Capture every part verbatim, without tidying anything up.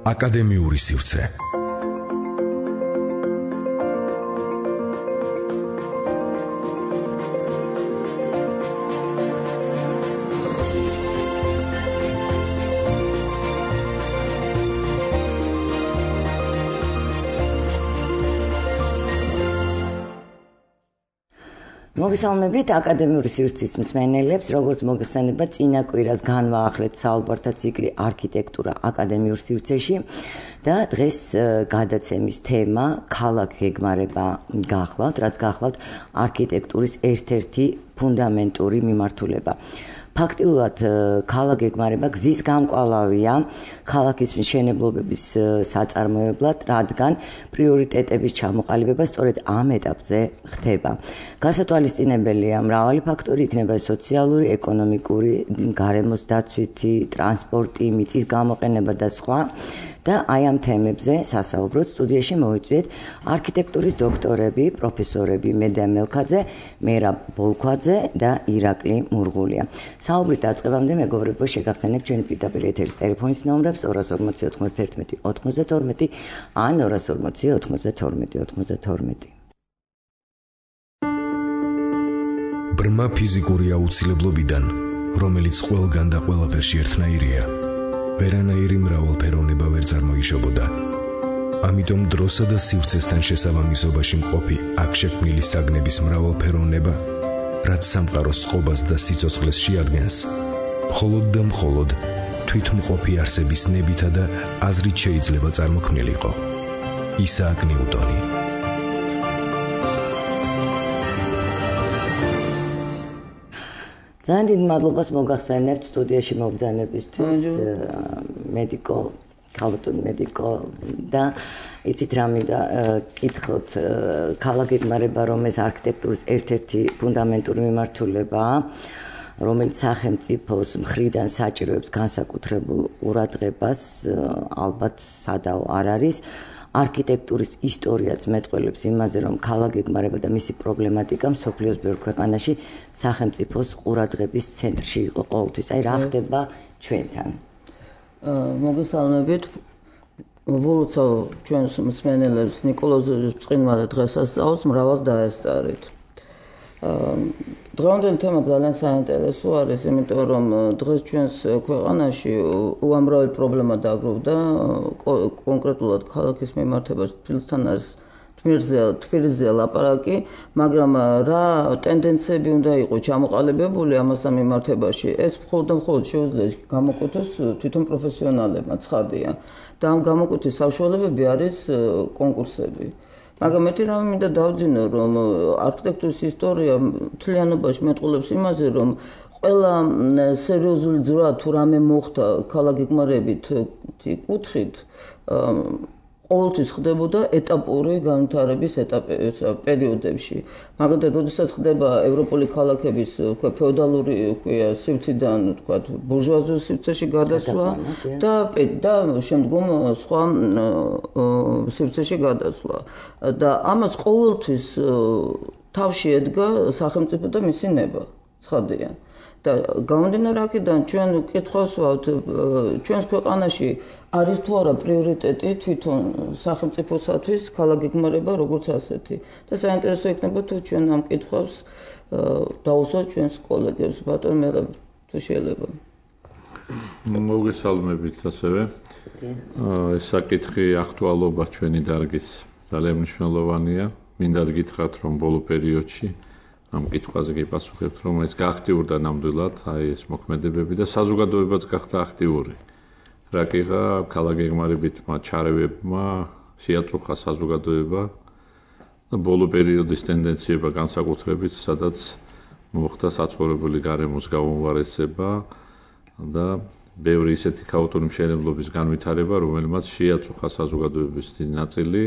აკადემიური სივრცე. მოგესალმებით აკადემიური სივრცის მსმენელებს, როგორც მოგეხსენება წინა კვირას განვაახლეთ საუბართა ციკლი არქიტექტურა აკადემიურ სივრცეში და დღეს გადაცემის თემა ქალაქ გეგმარება გახლავთ, რაც გახლავთ არქიტექტურის ერთ-ერთი ფუნდამენტური მიმართულება. ფაქტიურად ქალაქ გეგმარება გზის გამკვალავია ქალაქის მშენებლობების საწარმოებლად, რადგან პრიორიტეტების ჩამოყალიბება სწორედ ამ ეტაპზე ხდება. გასათვალისწინებელია მრავალი ფაქტორი, იქნება სოციალური, ეკონომიკური, გარემოს დაცვითი, ტრანსპორტი, მიწის გამოყენება და სხვა. და აი ამ თემებზე სასაუბროდ სტუდიაში მოვიწვიეთ არქიტექტურის დოქტორები, პროფესორები მედია მელქაძე, მერაბ ბოლქვაძე და ირაკლი მურღულია. საუბრის დაწყებამდე მეგობრებო, შეგახსენებთ ჩვენი პირდაპირ ეთერის ტელეფონის ნომრებს ორას ორმოცი ოთხმოცდაერთმეტი ოთხმოცდათორმეტი ან ორას ორმოცი ოთხმოცდათორმეტი ოთხმოცდათორმეტი. ბრმა ფიზიკური აუცილებლობიდან, რომელიც ყველგან და ყველაფერში ერთნაირია, ვერანაირი მრავალფეროვნება ვერ წარმოიშობოდა. ამიტომ დროსა და სივრცესთან შესაბამისობაში მყოფი აქ შექმნილი საგნების მრავალფეროვნება, რაც სამყაროს წყობას და სიცოცხლეს შეადგენს, მხოლოდ და მხოლოდ თვითმყოფი არსების ნებითა და აზრით შეიძლება წარმოქმნილიყო. ისააკ ნიუტონი. ძალიან დიდ მადლობას მოგახსენებთ სტუდიაში მობრძანებისთვის მედიკო, ქალბატონ მედიკო და იცით რა მინდა კითხოთ, ქალაქ გეგმარება რომ ეს არქიტექტურის ერთ-ერთი ფუნდამენტური მიმართულებაა, რომელიც სახელმწიფოს მხრიდან საჭიროებს განსაკუთრებულ ყურადღებას, ალბათ სადაო არ არის. არქიტექტურის ისტორიაც მეტყველებს იმაზე, რომ ქალაქ გეგმარება და მისი პრობლემატიკა მსოფლიოს ბევრ ქვეყანაში სახელმწიფოს ყურადღების ცენტრში იყო ყოველთვის. აი რა ხდება ჩვენთან? მოგესალმებით. ვულოცავ ჩვენს მსმენელებს ნიკოლოზოვის წიგნმა და დღესასწაულს მრავალს დაესწარით. დღევანდელი თემა ძალიან საინტერესო არის, იმიტომ რომ დღეს ჩვენს ქვეყანაში უამრავი პრობლემა დაგროვდა, კონკრეტულად ქალაქის მიმართებაში თბილისთან არის თბილისზე ლაპარაკი, მაგრამ რა ტენდენციები უნდა იყოს ჩამოყალიბებული ამასთან მიმართებაში, ეს მხოლოდ და მხოლოდ შეუძლია გამოკვეთოს თვითონ პროფესიონალებმა, ცხადია. და ამ გამოკვეთის საშუალებები არის კონკურსები. მაგრამ მეტი რამე მინდა დავძინო, რომ არქიტექტურის ისტორია მთლიანობაში მეტყველებს იმაზე, რომ ყველა სერიოზული ძრა თუ რამე მოხდა ქალაქ გეგმარებით კუთხით, ყოველთვის ხდებოდა ეტაპური განვითარების პერიოდებში. მაგალითად, როდესაც ხდება ევროპული ქალაქების ფეოდალური სივრციდან ბურჟუაზიულ სივრცეში გადასვლა და და შემდგომ სხვა სივრცეში გადასვლა. და ამას ყოველთვის თავში ედგა სახელმწიფო და მისი ნება, ცხადია. და გამომდინარე აქედან ჩვენ კითხვას ვავთ, ჩვენს ქვეყანაში არის თუ არა პრიორიტეტი თვითონ სახელმწიფოსათვის ქალაქ გეგმარება როგორც ასეთი. და საინტერესო იქნება თუ ჩვენ ამ კითხვას დავუსვათ ჩვენს კოლეგებს, ბატონ მერაბ, თუ შეიძლება. მოგესალმებით ასევე. ეს საკითხი აქტუალობა ჩვენი დარგის ძალიან მნიშვნელოვანია. მინდა გითხრათ, რომ ბოლო პერიოდში ამ კითხვაზე გიპასუხებთ, რომ ეს გააქტიურდა ნამდვილად აი ეს მოქმედებები და საზოგადოებაც გახდა აქტიური. რაკიღა ქალაქ გეგმარებით მათ ჩარევებმა შეაწუხა საზოგადოება და ბოლო პერიოდის ტენდენციება განსაკუთრებით, სადაც მოხდა საცხოვრებელი გარემოს გაუმჯობესება და ბევრი ისეთი ქაოტური მშენებლობის განვითარება, რომელმაც შეაწუხა საზოგადოების დიდი ნაწილი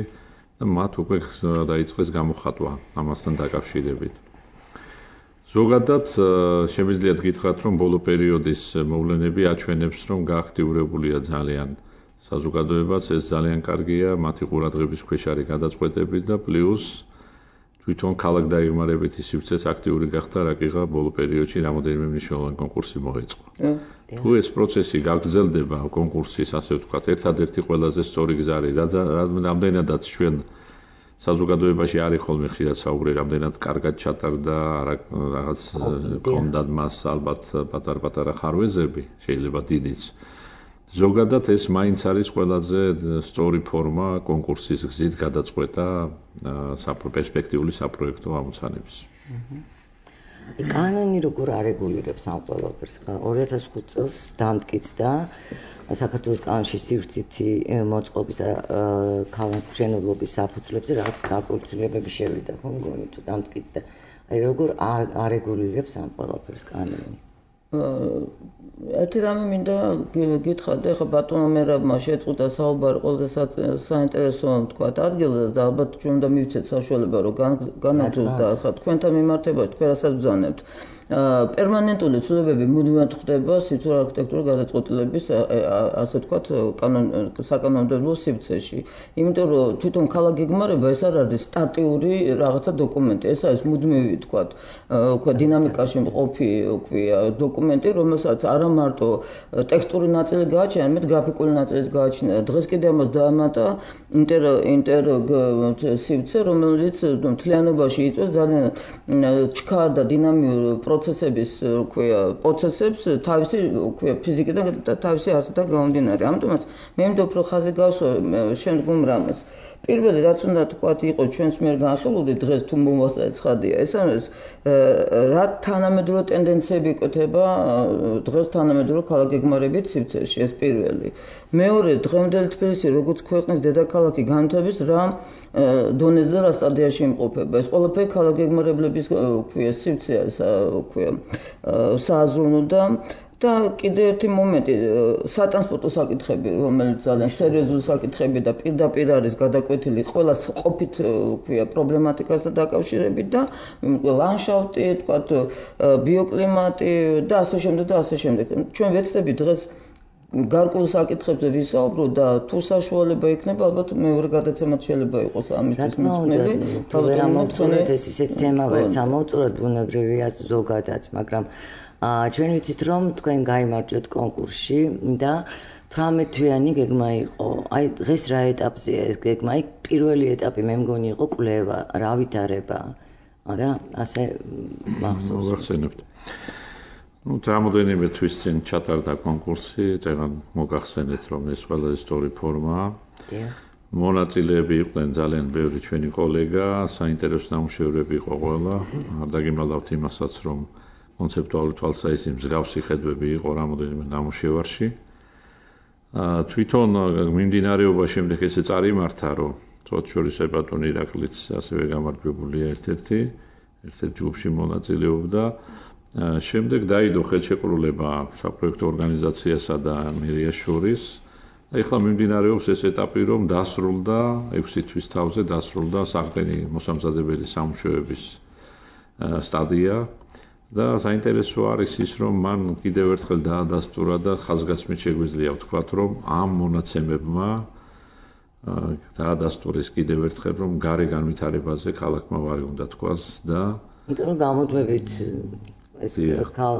და მათ უკვე დაიწყეს გამოხატვა ამასთან დაკავშირებით. ზოგადად შემიძლიათ გითხრათ, რომ ბოლო პერიოდის მოვლენები აჩვენებს, რომ გააქტიურებულია ძალიან საზოგადოებაც, ეს ძალიან კარგია, მათი ყურადღების ქვეშ არის გადაწყვეტები და პლუს თვითონ ქალაქ დაიგმარებითი სივრცეს აქტიური გახდა, რაკიღა ბოლო პერიოდში რამდენიმე მნიშვნელოვანი კონკურსი მოეწყო. თუ ეს პროცესი გაგრძელდება კონკურსის, ასე ვთქვათ, ერთადერთი ყველაზე სწორი გზა არის, რამდენადაც ჩვენ საზოგადოებაში არის ხოლმე ხშირად საუბარი, რამდენად კარგად ჩატარდა, რაღაც კონდად მას ალბათ პატარ-პატარა ხარვეზები, შეიძლება დიდიც. ზოგადად ეს მაინც არის ყველაზე სწორი ფორმა კონკურსის გზით გადაწყვეტა პერსპექტიული საპროექტო ამოცანების. კანონი როგორ არეგულირებს ამ ყველაფერს? ორი ათას ხუთი წელს დამტკიცდა საქართველოს კანონში სივრცითი მოწყობის და ქალაქმშენებლობის საფუძვლებზე რაღაც განხორციელებები შევიდა, ხო მგონი თუ დამტკიცდა. აი როგორ არეგულირებს ამ ყველაფერს კანონი? ერთი რამე მინდა გითხრათ, ეხლა ბატონო მერაბმა შეწყვიტა საუბარი ყველაზე საინტერესო თქვა ადგილზე და ალბათ ჩვენ უნდა მივცეთ საშუალება რომ განაგრძოს და ახლა თქვენთან მიმართებაში თქვენ რასაც ბრძანებთ. პერმანენტული ცვლილებები მუდმივად ხდება სივრცე არქიტექტურის გადაწყვეტილების ასე ვთქვათ საკანონმდებლო სივრცეში. იმიტომ რომ თვითონ ქალაქ გეგმარება ეს არ არის სტატიური რაღაცა დოკუმენტი, ეს არის მუდმივი ვთქვათ, უკვე დინამიკაში მყოფი ქვია დოკუმენტი, რომელსაც არა მარტო ტექსტური ნაწილი გააჩნია, არამედ გრაფიკული ნაწილიც გააჩნია. დღეს კიდე ამას დაამატა ინტერ ინტერ სივრცე, რომელიც მთლიანობაში იწვევს ძალიან ჩქარ და დინამიურ პროცესების ქვია პროცესებს თავისი ქვია ფიზიკიდან და თავისი არსიდან გამომდინარე. ამიტომაც მე მინდობ რომ ხაზი გავსვა შემდგომ რამეს. პირველი რაც უნდა თქვა იყო ჩვენს მიერ განხილული დღეს თუ მომასწრე ცხადია ეს არის რა თანამედროვე ტენდენციები იკვეთება დღეს თანამედროვე ქალაქგეგმარებით სივრცეში ეს პირველი. მეორე დღემდელი თბილისი როგორც ქვეყნის დედაქალაქი განვითარების რა დონეზე და რა სტადიაში იმყოფება. ეს ყველაფერი ქალაქგეგმარებლების ქვია სივრცე არის ქვია სააზროვნო და და კიდე ერთი მომენტი სატრანსპორტო საკითხები რომელიც ძალიან სერიოზული საკითხები და პირდაპირ არის გადაკვეთილი ყველა ყოფით ქვია პრობლემატიკასთან დაკავშირებით და ლანდშაფტი თქვათ ბიოკლიმატი და ასე შემდეგ და ასე შემდეგ. ჩვენ ვეცდებით დღეს გარკვეულ საკითხებზე ვისაუბროთ და თუ საშუალება იქნება ალბათ მეორე გადაცემაც შეიძლება იყოს ამისთვის მიწყნელი. თუ ვერ ამოვწურეთ ეს ისეთი თემა ვერც ამოვწუროთ ბუნებრივია ზოგადად, მაგრამ ჩვენ ვიცით რომ თქვენ გაიმარჯვეთ კონკურსში და თვრამეტ თვიანი გეგმა იყო. აი დღეს რა ეტაპზეა ეს გეგმა? აი პირველი ეტაპი მე მგონი იყო კვლევა, რა ვითარება. არა, ასე მახსოვს. მოგახსენებთ. ну რამოდენიმე თვის წინ ჩატარდა კონკურსი, წეგან მოგახსენეთ რომ ეს ყველაზე სწორი ფორმაა. მონაწილეები იყვნენ ძალიან ბევრი ჩვენი კოლეგა, საინტერესო ნამუშევრები იყო ყველა. არ დაგიმალავთ იმასაც რომ კონცეპტუალური თვალსაჩინო მსგავსი ხედვები იყო რამოდენიმე ნამუშევარში. თვითონ მიმდინარეობა შემდეგ ესე წარიმართა, რომ წოთ შორის ბატონი ირაკლიც ასევე გამარჯვებულია ერთ-ერთი, ერთ-ერთ ჯგუფში მონაწილეობდა. შემდეგ დაიდო ხელშეკრულება საპროექტო ორგანიზაციასა და მერიას შორის. ეხლა მიმდინარეობს ეს ეტაპი, რომ დასრულდა ექვსი თვის თავზე დასრულდა საყრდენი მოსამზადებელი სამუშაოების სტადია. და საინტერესო არის ის რომ მან კიდევ ერთხელ დაადასტურა და ხაზგასმით შეგვიძლია ვთქვათ რომ ამ მონაცემებმა დაადასტურეს კიდევ ერთხელ რომ გარე განვითარებაზე ქალაქმა ვარი უნდა თქვას და იმიტომ რომ გამოდმებით ეს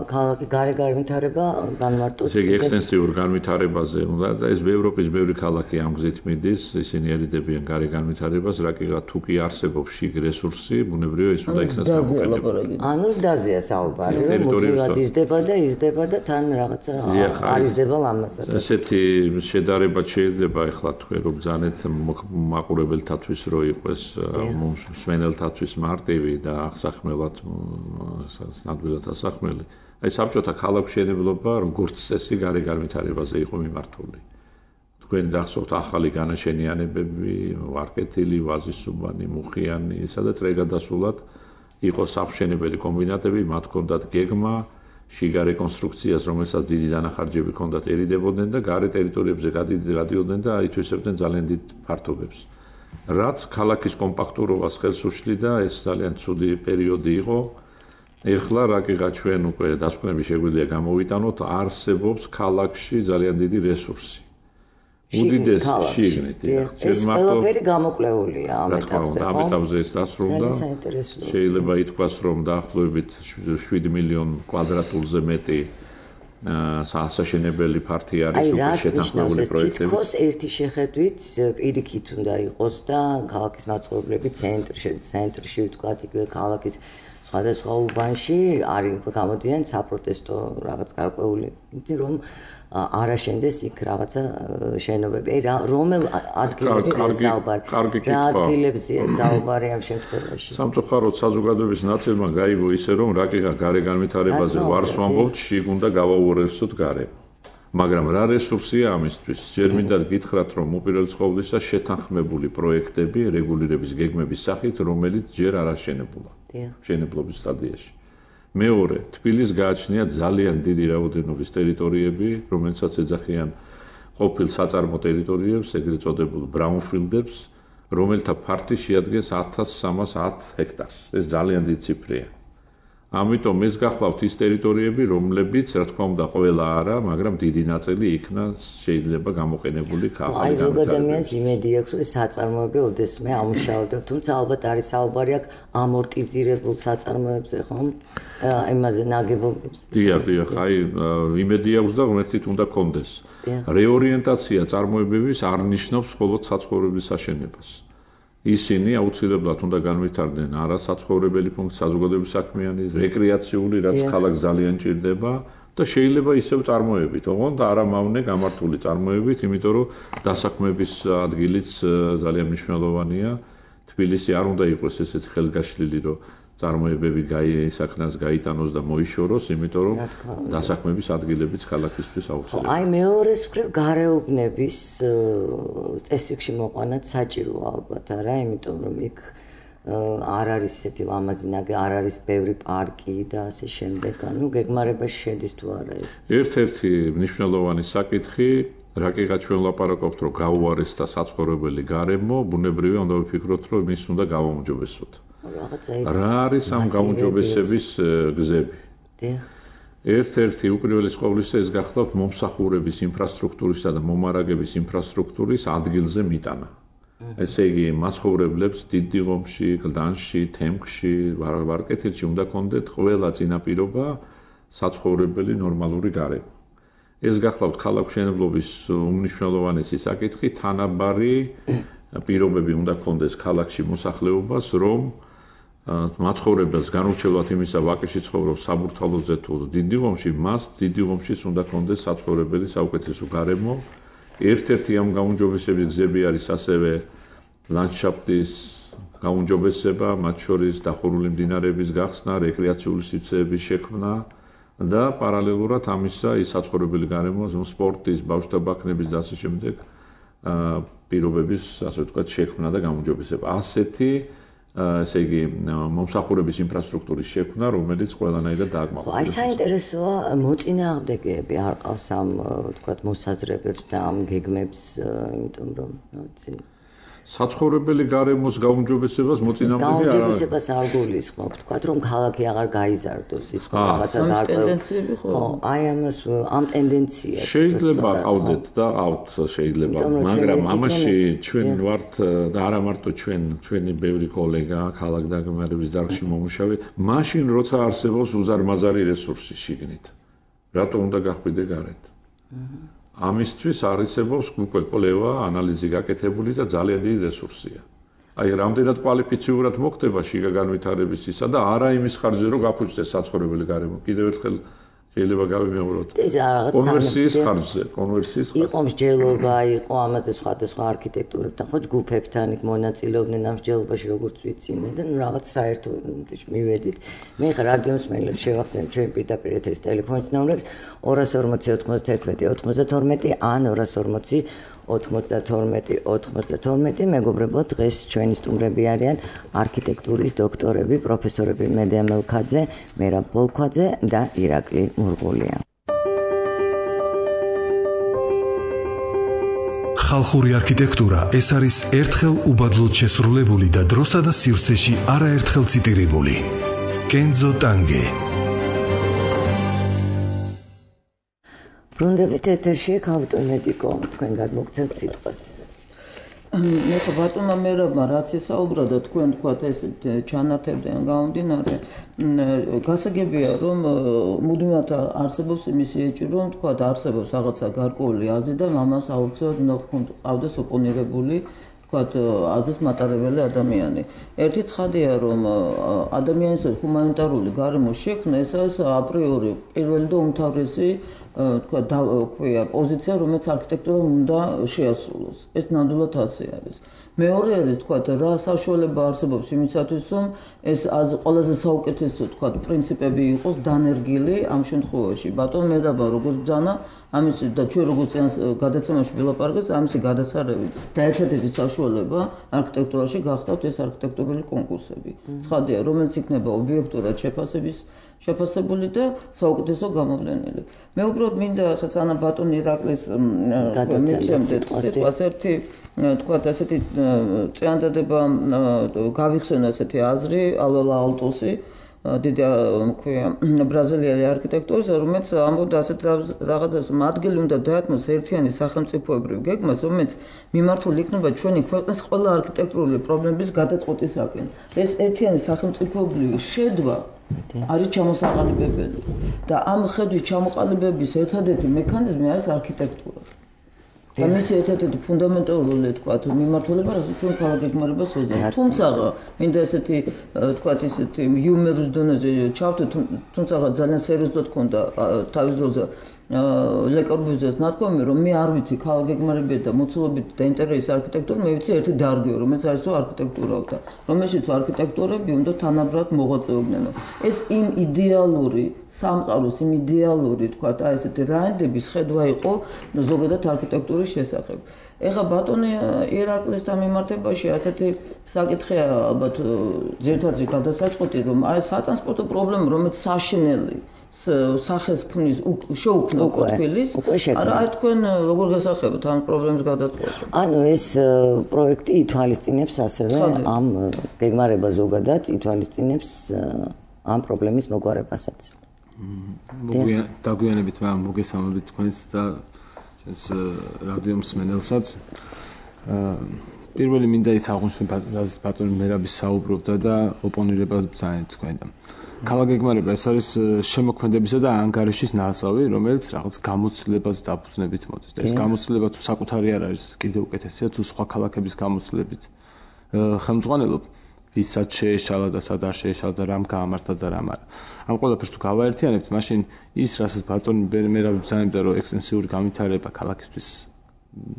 ქალაქი გარე განვითარება განმარტოს. ესე იგი ექსტენსიურ განვითარებაზე უნდა და ეს ევროპის ბევრი ქალაქი ამ გზით მიდის, ისინი ერიდებიან გარე განვითარებას, რაკიღა თუ კი არსებობს შიგ რესურსი, ბუნებრივია ის უნდა იქნას გამოკეთებული. ანუ ზდაზეა საუბარი, რომ მუდმივად იზრდება და იზრდება და თან რაღაცა არიზრდება ლამაზად. ესეთი შედარება შეიძლება ეხლა თქვენ რომ ბრძანეთ მაყურებელთათვის რო იყოს მსმენელთათვის მარტივი და აღსაქმელად ნამდვილად ასახმელი. აი საბჭოთა ქალაქმშენებლობა როგორც წესი გარე განვითარებაზე იყო მიმართული. თქვენ გახსოვთ ახალი განაშენიანებები, ვარკეთილი, ვაზისუბანი, მუხიანი, სადაც რეგადასულად იყო სამშენებელი კომბინატები, მათ ჰქონდათ გეგმა, შიგა რეკონსტრუქციას, რომელსაც დიდი დანახარჯები ჰქონდათ, ერიდებოდნენ და გარე ტერიტორიებზე გადიდიოდნენ და ითვისებდნენ ძალიან დიდ ფართობებს. რაც ქალაქის კომპაქტურობას ხელს უშლიდა, ეს ძალიან ცუდი პერიოდი იყო. ეხლა რაკიღა ჩვენ უკვე დასკვნები შეგვიძლია გამოვიტანოთ, არსებობს ქალაქში ძალიან დიდი რესურსი. უდიდეს შიგნით. ეს ყველაფერი გამოკვლეულია ამ ეტაპზე. ამ ეტაპზე ეს დასრულდა. შეიძლება ითქვას, რომ დაახლოებით შვიდი მილიონი კვადრატულზე მეტი სასაშენებელი ფართი არის უკვე შეთანხმებული პროექტები. თითქოს ერთი შეხედვით პირიქით უნდა იყოს და ქალაქის მაცხოვრებლები ცენტრში, ცენტრში ვთქვათ, იგივე ქალაქის სხვადასხვა უბანში არის გამოდიან საპროტესტო რაღაც გარკვეული, იმიტომ რომ არ აშენდეს იქ რაღაცა შენობები. აი რომელ ადგილებზე საუბარი? რა ადგილებზეა საუბარი ამ შემთხვევაში? სამწუხაროდ საზოგადოების ნაწილმა გაიგო ისე, რომ რაკიღა გარე განვითარებაზე ვარს ვამბობთ, შიგ უნდა გავაუორესოთ გარე. მაგრამ რა რესურსია ამისთვის? ჯერ მინდა გითხრათ, რომ უპირველეს ყოვლისა შეთანხმებული პროექტები რეგულირების გეგმების სახით, რომელიც ჯერ არ აშენებულა მშენებლობის სტადიაში. მეორე, თბილისს გააჩნია ძალიან დიდი რაოდენობის ტერიტორიები, რომელსაც ეძახიან ყოფილ საწარმო ტერიტორიებს, ეგრეთ წოდებულ ბრაუნფილდებს, რომელთა ფართი შეადგენს ათას სამას ათი ჰექტარს. ეს ძალიან დიდი ციფრია. ამიტომ ეს გახლავთ ის ტერიტორიები, რომლებიც, რა თქმა უნდა, ყველა არა, მაგრამ დიდი ნაწილი იქნა შეიძლება გამოყენებული ახალი განვითარების. აი, ზოგადად ადამიანს იმედი აქვს, რომ საწარმოები ოდესმე ამუშავდა, თუმცა ალბათ არის საუბარი აქ ამორტიზირებულ საწარმოებზე, ხომ? იმაზე ნაგებობებზე. დიახ, დიახ, აი, იმედი აქვს და ღმერთით უნდა კონდეს. რეორიენტაცია წარმოებების არ ნიშნავს მხოლოდ საცხოვრებლის აშენებას. ისინი აუცილებლად უნდა განვითარდნენ არასაცხოვრებელი ფუნქცია, საზოგადოების საქმიანი, რეკრეაციული, რაც ქალაქს ძალიან ჭირდება და შეიძლება ისევ წარმოებით, ოღონდ არამავნე გამართული წარმოებით, იმიტომ რომ დასაქმების ადგილიც ძალიან მნიშვნელოვანია. თბილისი არ უნდა იყოს ესეთი ხელგაშლილი, რომ წარმოებები საქმას გაიტანოს და მოიშოროს, იმიტომ რომ დასაქმების ადგილებიც ქალაქისთვის აუცილებელია. აი მეორეს მხრივ გარეუბნების წესრიგში მოყვანაც საჭიროა ალბათ, არა, იმიტომ რომ იქ არ არის ესეთი ლამაზი ნაგები, არ არის ბევრი პარკი და ასე შემდეგ, ანუ გეგმარებაში შედის თუ არა ეს. ერთ-ერთი მნიშვნელოვანი საკითხი, რაკიღა ჩვენ ლაპარაკობთ, რომ გაუარესდა საცხოვრებელი გარემო, ბუნებრივია უნდა ვიფიქროთ, რომ ის უნდა გავაუმჯობესოთ. რა არის ამ გაუმჯობესების გზები? ერთ-ერთი უპირველეს ყოვლისა ეს გახლავთ მომსახურების ინფრასტრუქტურისა და მომარაგების ინფრასტრუქტურის ადგილზე მიტანა. ესე იგი, მაცხოვრებლებს დიდიღომში, გლდანში, თემქში, ვარკეთილში უნდა კონდეთ ყველა წინაპირობა საცხოვრებელი ნორმალური გარემო. ეს გახლავთ ქალაქმშენებლობის უმნიშვნელოვანესი საკითხი, თანაბარი პირობები უნდა კონდეს ქალაქში მოსახლეობას, რომ მაცხოვრებელს განურჩევლად იმისა ვაკეში ცხოვრობს საბურთალოზე თუ დიდიღომში, მას დიდიღომშიც უნდა კონდეს საცხოვრებელი საუკეთესო გარემო. ერთ-ერთი ამ გაუმჯობესების გზები არის ასევე ლანდშაფტის გაუმჯობესება, მათ შორის დახურული მდინარეების გახსნა, რეკრეაციული სივრცეების შექმნა და პარალელურად ამისა ის საცხოვრებელი გარემო, სპორტის, ბავშვთა ბაქნების და ასე შემდეგ პირობების, ასე ვთქვათ, შექმნა და გაუმჯობესება. ასეთი ესე იგი მომსახურების ინფრასტრუქტურის შექმნა, რომელიც ყველანაირად დააკმაყოფილებს. აი საინტერესოა მოწინააღმდეგეები არ ყავს ამ ვთქვათ მოსაზრებებს და ამ გეგმებს, იმიტომ რომ ვიცი საცხოვრებელი გარემოს გაუმჯობესებას მოწინააღმდეგე არ არის. გაუმჯობესებას არ გულისხმობ, ვთქვათ რომ ქალაქი აღარ გაიზარდოს, ის რაღაცა გარკვეული. ხო, აი ამას ამ ტენდენციას შეიძლება ყავდეთ და ყავთ შეიძლება, მაგრამ ამაში ჩვენ ვართ და არა მარტო ჩვენ, ჩვენი ბევრი კოლეგა ქალაქ დაგმარების დარგში მომუშავე, მაშინ როცა არსებობს უზარმაზარი რესურსი შიგნით. რატო უნდა გახვიდე გარეთ? ამისთვის არსებობს უკვე კვლევა, ანალიზი გაკეთებული და ძალიან დიდი რესურსია. აი, რამდენად კვალიფიციურად მოხდება შიგა განვითარების ისა და არა იმის ხარჯზე, რომ გაფუძნდეს საცხოვრებელი გარემო. კიდევ ერთხელ შეიძლება გავიმეოროთ. კონვერსიის ხარჯზე, კონვერსიის ხარჯზე. იყო მსჯელობა, იყო ამაზე სხვადასხვა არქიტექტურებთან, ხო, ჯგუფებთან იქ მონაწილეობდნენ ამ მსჯელობაში, როგორც ვიცი მე და რაღაც საერთო მივედით. მე ხა რადიო მსმენელებს შევახსენებ ჩვენ პირდაპირ ეთერის ტელეფონის ნომრებს ორას ორმოცი ოთხმოცდაერთმეტი ოცდათორმეტი ან ორას ორმოცი ოთხმოცდათორმეტი ოცდათორმეტი. მეგობრებო, დღეს ჩვენი სტუმრები არიან არქიტექტურის დოქტორები, პროფესორები მედია მელქაძე, მერაბ ბოლქვაძე და ირაკლი მურღულია. ხალხური არქიტექტურა ეს არის ერთხელ უბადლოდ შესრულებული და დროსა და სივრცეში არაერთხელ ციტირებული. კენძო ტანგე. ბრუნდებით ეთერში ქალბატონ მედიკო, თქვენ გადმოგცემთ სიტყვას. მე ხო ბატონმა მერაბმა რაც ესაუბრა და თქვენ თქვათ ეს ჩანართებდნენ გამომდინარე გასაგებია რომ მუდმივად არსებობს იმის ეჭვი რომ თქვათ არსებობს რაღაცა გარკვეული აზრი და ამას აუცილებლად უნდა ყავდეს ოპონირებული თქვათ აზრის მატარებელი ადამიანი. ერთი ცხადია რომ ადამიანის ჰუმანიტარული გარემოს შექმნა ეს არის აპრიორი პირველი და უმთავრესი თქვა ქვია პოზიცია რომელიც არქიტექტურამ უნდა შეასრულოს. ეს ნამდვილად ასე არის. მეორე არის თქვა რა საშუალება არსებობს იმისათვის რომ ეს ყველაზე საუკეთესო თქვა პრინციპები იყოს დანერგილი ამ შემთხვევაში. ბატონ მედაბა როგორც ძანა ამის და ჩვენ როგორც გადაცემაში ვილაპარაკეთ ამისი გადაცარევით და ერთ-ერთი საშუალება არქიტექტურაში გახდათ ეს არქიტექტურული კონკურსები. ცხადია რომელიც იქნება ობიექტურად შეფასების შეფასებული და საუკეთესო გამოვლენილი. მე უბრალოდ მინდა ახლა სანა ბატონ ირაკლის მიცემდეთ სიტყვას ერთი თქვათ ასეთი წინადადება გავიხსენო ასეთი აზრი ალვალა ალტოსი დიდი ქვია ბრაზილიელი არქიტექტორის რომელიც ამბობდა ასეთ რაღაცას რომ ადგილი უნდა დაეთმოს ერთიანი სახელმწიფოებრივ გეგმას რომელიც მიმართული იქნება ჩვენი ქვეყნის ყველა არქიტექტურული პრობლემების გადაწყვეტისაკენ. ეს ერთიანი სახელმწიფოებრივი ხედვა არის ჩამოსაყალიბებელი და ამ ხედვის ჩამოყალიბების ერთადერთი მექანიზმი არის არქიტექტურა. და მისი ერთ-ერთი ფუნდამენტალური თქვა მიმართულება რასაც ჩვენ ქალაქგეგმარებას ვეძებთ. თუმცა მინდა ესეთი თქვა ისეთი იუმორის დონეზე ჩავთვით თუმცა ძალიან სერიოზულად ქონდა თავის დროზე ლე კორბუზიეს ნათქვამი რომ მე არ ვიცი ქალაქგეგმარებია და მოცულობით და ინტერიერის არქიტექტურა მე ვიცი ერთი დარგიო რომელიც არის არქიტექტურათა რომელშიც არქიტექტურები უნდა თანაბრად მოღვაწეობდნენ. ეს იმ იდეალური სამყაროს იმ იდეალური თქვა აი ესეთი რაინდების ხედვა იყო ზოგადად არქიტექტურის შესახებ. ეხლა ბატონი ირაკლისთან მიმართებაში ასეთი საკითხია ალბათ ძირითადად გადასაწყვეტი რომ აი სატრანსპორტო პრობლემა რომელიც საშინელი სახეს ქმნის შეუქმნა ყოფილის არა აი თქვენ როგორ გასახებთ ამ პრობლემის გადაწყვეტას? ანუ ეს პროექტი ითვალისწინებს ასევე ამ გეგმარება ზოგადად ითვალისწინებს ამ პრობლემის მოგვარებასაც. დაგვიანებით მოგესალმებით თქვენს და ჩვენს რადიო მსმენელსაც. პირველი მინდა ის აღნიშნო რაც ბატონი მერაბი საუბრობდა და ოპონირებას ბრძანეთ თქვენთან. ქალაქგეგმარება ეს არის შემოქმედებისა და ანგარიშის ნაწილი, რომელიც რაღაც გამოცდილებას დაფუძნებით მოდის. და ეს გამოცდილება თუ საკუთარი არ არის, კიდევ უკეთესია თუ სხვა ქალაქების გამოცდილებით ხელმძღვანელობ, ვისაც შეეშალა და სად არ შეეშალა და რამ გაამართა და რამ არა. ამ ყველაფერს თუ გავაერთიანებთ, მაშინ ის რასაც ბატონი მერაბი ბრძანებდა, რომ ექსტენსიური განვითარება ქალაქისთვის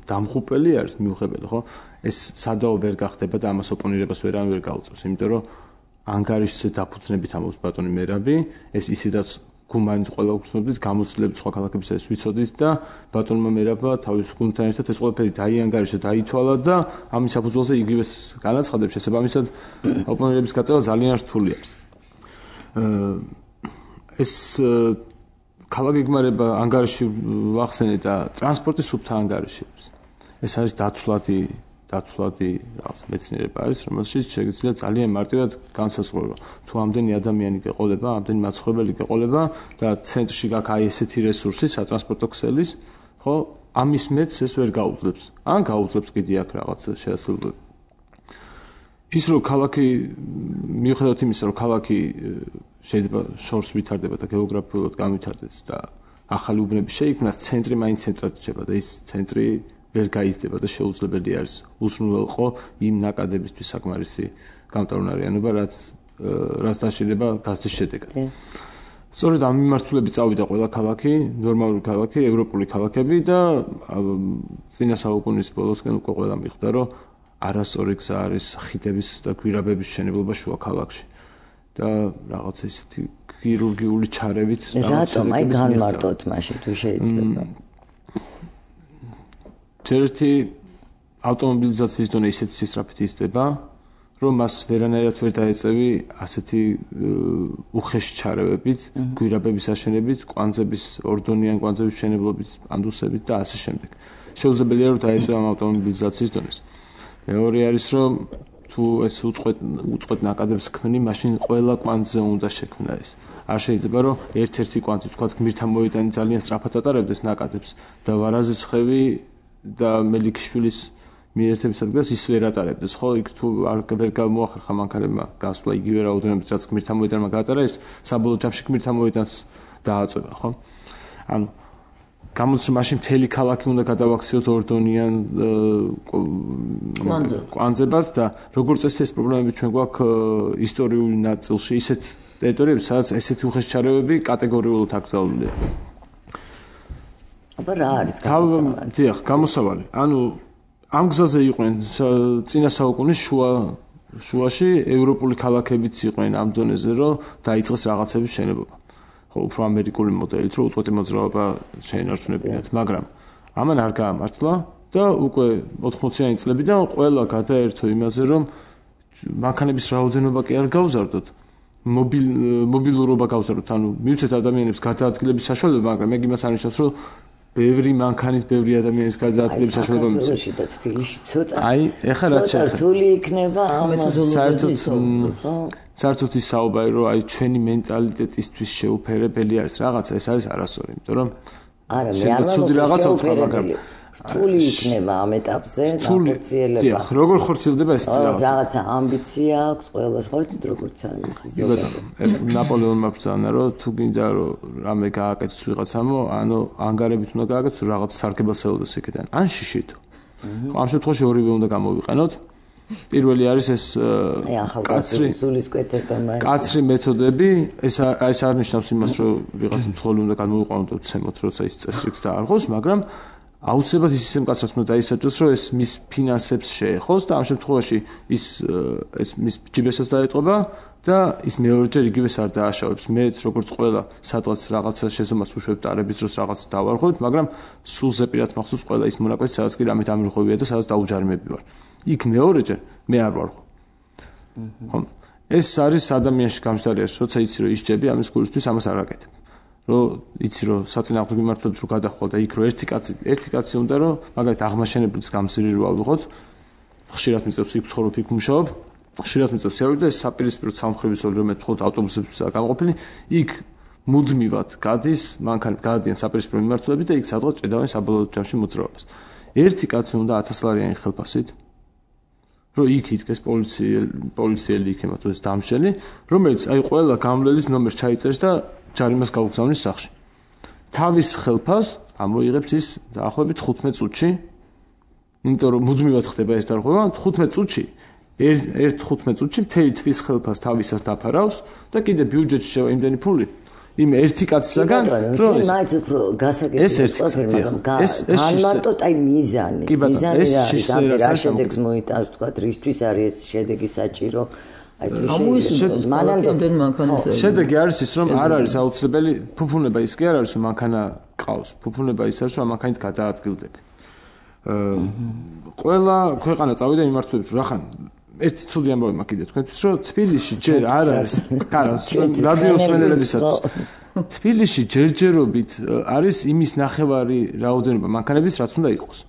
დამხუპელი არის, მიუღებელი, ხო? ეს სადაო ვერ გახდება და ამას ოპონირებას ვერავინ ვერ გაუწევს, იმიტომ რომ ანგარიშზე დაფუძნებით ამბობს ბატონი მერაბი, ეს ისედაც გუმანით ყველა უცნობდით, გამოცდილებით სხვა ქალაქებისათვის ვიცოდით და ბატონმა მერაბა თავის გუნდთან ერთად ეს ყველაფერი დაიანგარიშა, დაითვალა და ამის საფუძველზე იგივე განაცხადებს შესაბამისად ოპონირების გაწევა ძალიან რთული არის. ეს ქალაქგეგმარება ანგარიში ვახსენე და ტრანსპორტის სუფთა ანგარიში არის. ეს არის დათვლადი დათვლადი რაღაც მეცნიერება არის, რომელშიც შეიძლება ძალიან მარტივად განსაზღვრო, თუ ამდენი ადამიანი გეყოლება, ამდენი მაცხოვრებელი გეყოლება და ცენტრში გაქვს აი ესეთი რესურსი, სატრანსპორტო ქსელის, ხო, ამის მეც ეს ვერ გაუძლებს. ან გაუძლებს კიდე აქ რაღაც შეასრულებელი. ის რომ ქალაქი მიუხედავად იმისა, რომ ქალაქი შეიძლება შორს ვითარდება და გეოგრაფიულად განვითარდეს და ახალი უბნები შეიქმნას, ცენტრი მაინც ცენტრად რჩება და ის ცენტრი ვერ გაიზრდება და შეუძლებელი არის უზრუნველყო იმ ნაკადებისთვის საკმარისი გამტარუნარიანობა, რაც რაც დაშლება გაზრდის შედეგად. სწორედ ამ მიმართულებით წავიდა ყველა ქალაქი, ნორმალური ქალაქი, ევროპული ქალაქები და წინა საუკუნის ბოლოსკენ უკვე ყველა მიხვდა, რომ არასწორი გზა არის ხიდების და გვირაბების მშენებლობა შუა ქალაქში. და რაღაც ისეთი ქირურგიული ჩარევით რატომ აი განმარტოთ მაშინ თუ შეიძლება. ერთი ავტომობილიზაციის დონე ისეთი სისწრაფით იზრდება, რომ მას ვერანაირად ვერ დაეწევი ასეთი უხეში ჩარევებით, გვირაბების აშენებით, კვანძების ორდონიან კვანძების მშენებლობით, პანდუსებით და ასე შემდეგ. შეუძლებელია რომ დაეწევა ამ ავტომობილიზაციის დონეს. მეორე არის რომ თუ ეს უწყვეტ უწყვეტ ნაკადებს ქმნი, მაშინ ყველა კვანძზე უნდა შექმნა ეს. არ შეიძლება რომ ერთ-ერთი კვანძი თქვა გმირთა მოედანი ძალიან სწრაფად ატარებდეს ნაკადებს და ვარაზის ხევი და მელიქიშვილის მიერთების ადგილას ის ვერ ატარებდეს, ხო? იქ თუ არ ვერ გამოახერხა მანქანებმა გასვლა იგივე რაოდენობით, რაც გმირთა მოედანმა გაატარა, ეს საბოლოო ჯამში გმირთა მოედანს დააწვევა, ხო? ანუ გამოდის მაშინ მთელი ქალაქი უნდა გადავაქციოთ ორდონიან კვანძებად და როგორც წესი ეს პრობლემები ჩვენ გვაქვს ისტორიული ნაწილში ისეთ ტერიტორიებში, სადაც ესეთი უხეშჩარევები კატეგორიულად აკრძალულია. აბა რა არის გამოსავალი? დიახ, გამოსავალი. ანუ ამ გზაზე იყვნენ წინა საუკუნის შუა შუაში ევროპული ქალაქებიც იყვნენ ამ დონეზე, რომ დაიწყეს რაღაცების შენობობა. ხო, უფრო ამერიკული მოდელით, რომ უწყვეტი მოძრაობა შეინარჩუნებინათ, მაგრამ ამან არ გაამართლა და უკვე ოთხმოციანი წლებიდან ყველა გადაერთო იმაზე, რომ მანქანების რაოდენობა კი არ გავზარდოთ, მობილ მობილურობა გავზარდოთ, ანუ მივცეთ ადამიანებს გადაადგილების საშუალება, მაგრამ ეგ იმას არნიშნავს, რომ ბევრი მანქანით ბევრი ადამიანის გადაადგილების საშუალება მიცემს. საქართველოში და თბილისში ცოტა. აი, ეხლა რა ცოტა რთული იქნება ამას საერთოდ საერთოდ ის საუბარი, რომ აი ჩვენი მენტალიტეტისთვის შეუფერებელი არის რაღაცა, ეს არის არასწორი, იმიტომ რომ არა, მე არ ცუდი რაღაცა ვთქვა, მაგრამ რთული იქნება ამ ეტაპზე განხორციელება. დიახ, როგორ ხორციელდება ეს რაღაცა? რაღაცა ამბიცია აქვს ყველას, ხო იცით როგორც არის ეს. კი ბატონო, ეს ნაპოლეონმა ბრძანა, რომ თუ გინდა რომ რამე გააკეთოს ვიღაცამო, ანუ ანგარებით უნდა გააკეთოს რაღაც სარგებას ელოდეს იქიდან. ან შიშით. ხო, ამ შემთხვევაში ორივე უნდა გამოვიყენოთ. პირველი არის ეს კაცრი სულისკვეთება მაინც. კაცრი მეთოდები, ეს ეს არ ნიშნავს იმას, რომ ვიღაცა მცხოველი უნდა გამოიყვანოთ და ვცემოთ, როცა ის წესრიგს დაარღვევს, მაგრამ აუცილებლად ის ისე მკაცრად უნდა დაისაჯოს, რომ ეს მის ფინანსებს შეეხოს და ამ შემთხვევაში ის ეს მის ჯიბესაც დაეტყობა და ის მეორეჯერ იგივეს არ დააშავებს. მეც როგორც ყველა სადღაც რაღაცა შესომას უშვებ დარების დროს რაღაც დავარღვევთ, მაგრამ სულ ზეპირად მახსოვს ყველა ის მონაკვეთი, სადაც კი რამით ამირღვევია და სადაც დაუჯარიმები ვარ. იქ მეორეჯერ მე არ ვარღვევ. ხო? ეს არის ადამიანში გამჟდარი, როცა იცი რომ ისჯები ამის გულისთვის ამას არ აკეთებ. რომ იცი რომ საწინააღმდეგო მიმართულებით რო გადახვალ და იქ რო ერთი კაცი ერთი კაცი უნდა რომ მაგალითად აღმაშენებლის გამზირი რო ავიღოთ, ხშირად მიწევს იქ ცხოვრობ იქ მუშაობ, ხშირად მიწევს ავიღოთ და ეს საპირისპირო სამხრების რომ მე თქო ავტობუსებსა გამყოფილი, იქ მუდმივად გადის, მანქანა გადადიან საპირისპირო მიმართულებით და იქ სადღაც ჭედავენ საბოლოო ჯამში მოძრაობას. ერთი კაცი უნდა ათას ლარიანი ხელფასით რომ იქ იდგეს პოლიციელი პოლიციელი იქნება თუ ეს დამშელი, რომელიც აი ყველა გამლელის ნომერს ჩაიწერს და ჯარიმას გაუგზავნის სახში. თავის ხელფას ამოიღებს ის დაახლოებით ხუთმეტ წუთში, იმიტომ რომ მუდმივად ხდება ეს დარღვევა, ხუთმეტ წუთში, ერთ ხუთმეტ წუთში მთელი თვის ხელფას თავისას დაფარავს და კიდე ბიუჯეტში შევა იმდენი ფული. იმ ერთი კაცისაგან, რომ ეს მაინც უფრო გასაგებია წოფერმა, ეს განმარტოთ აი მიზანი. მიზანი რა შედეგს მოიტანს, თქვა, რისთვის არის ეს შედეგი საჭირო. აი თუ მანამდე მანქანის შედეგი არის ის, რომ არ არის აუცილებელი ფუფუნება ის კი არ არის, რომ მანქანა ყავს. ფუფუნება ის არის, რომ მანქანით გადაადგილდები. ყველა ქვეყანა წავიდა იმართლებს, რომ ახან ერთი ცუდი ამბავი მაქვს კიდე თქვენთვის, რომ თბილისში ჯერ არ არის, კარო, რადიოს მენელებისათვის. თბილისში ჯერჯერობით არის იმის ნახევარი რაოდენობა მანქანების, რაც უნდა იყოს.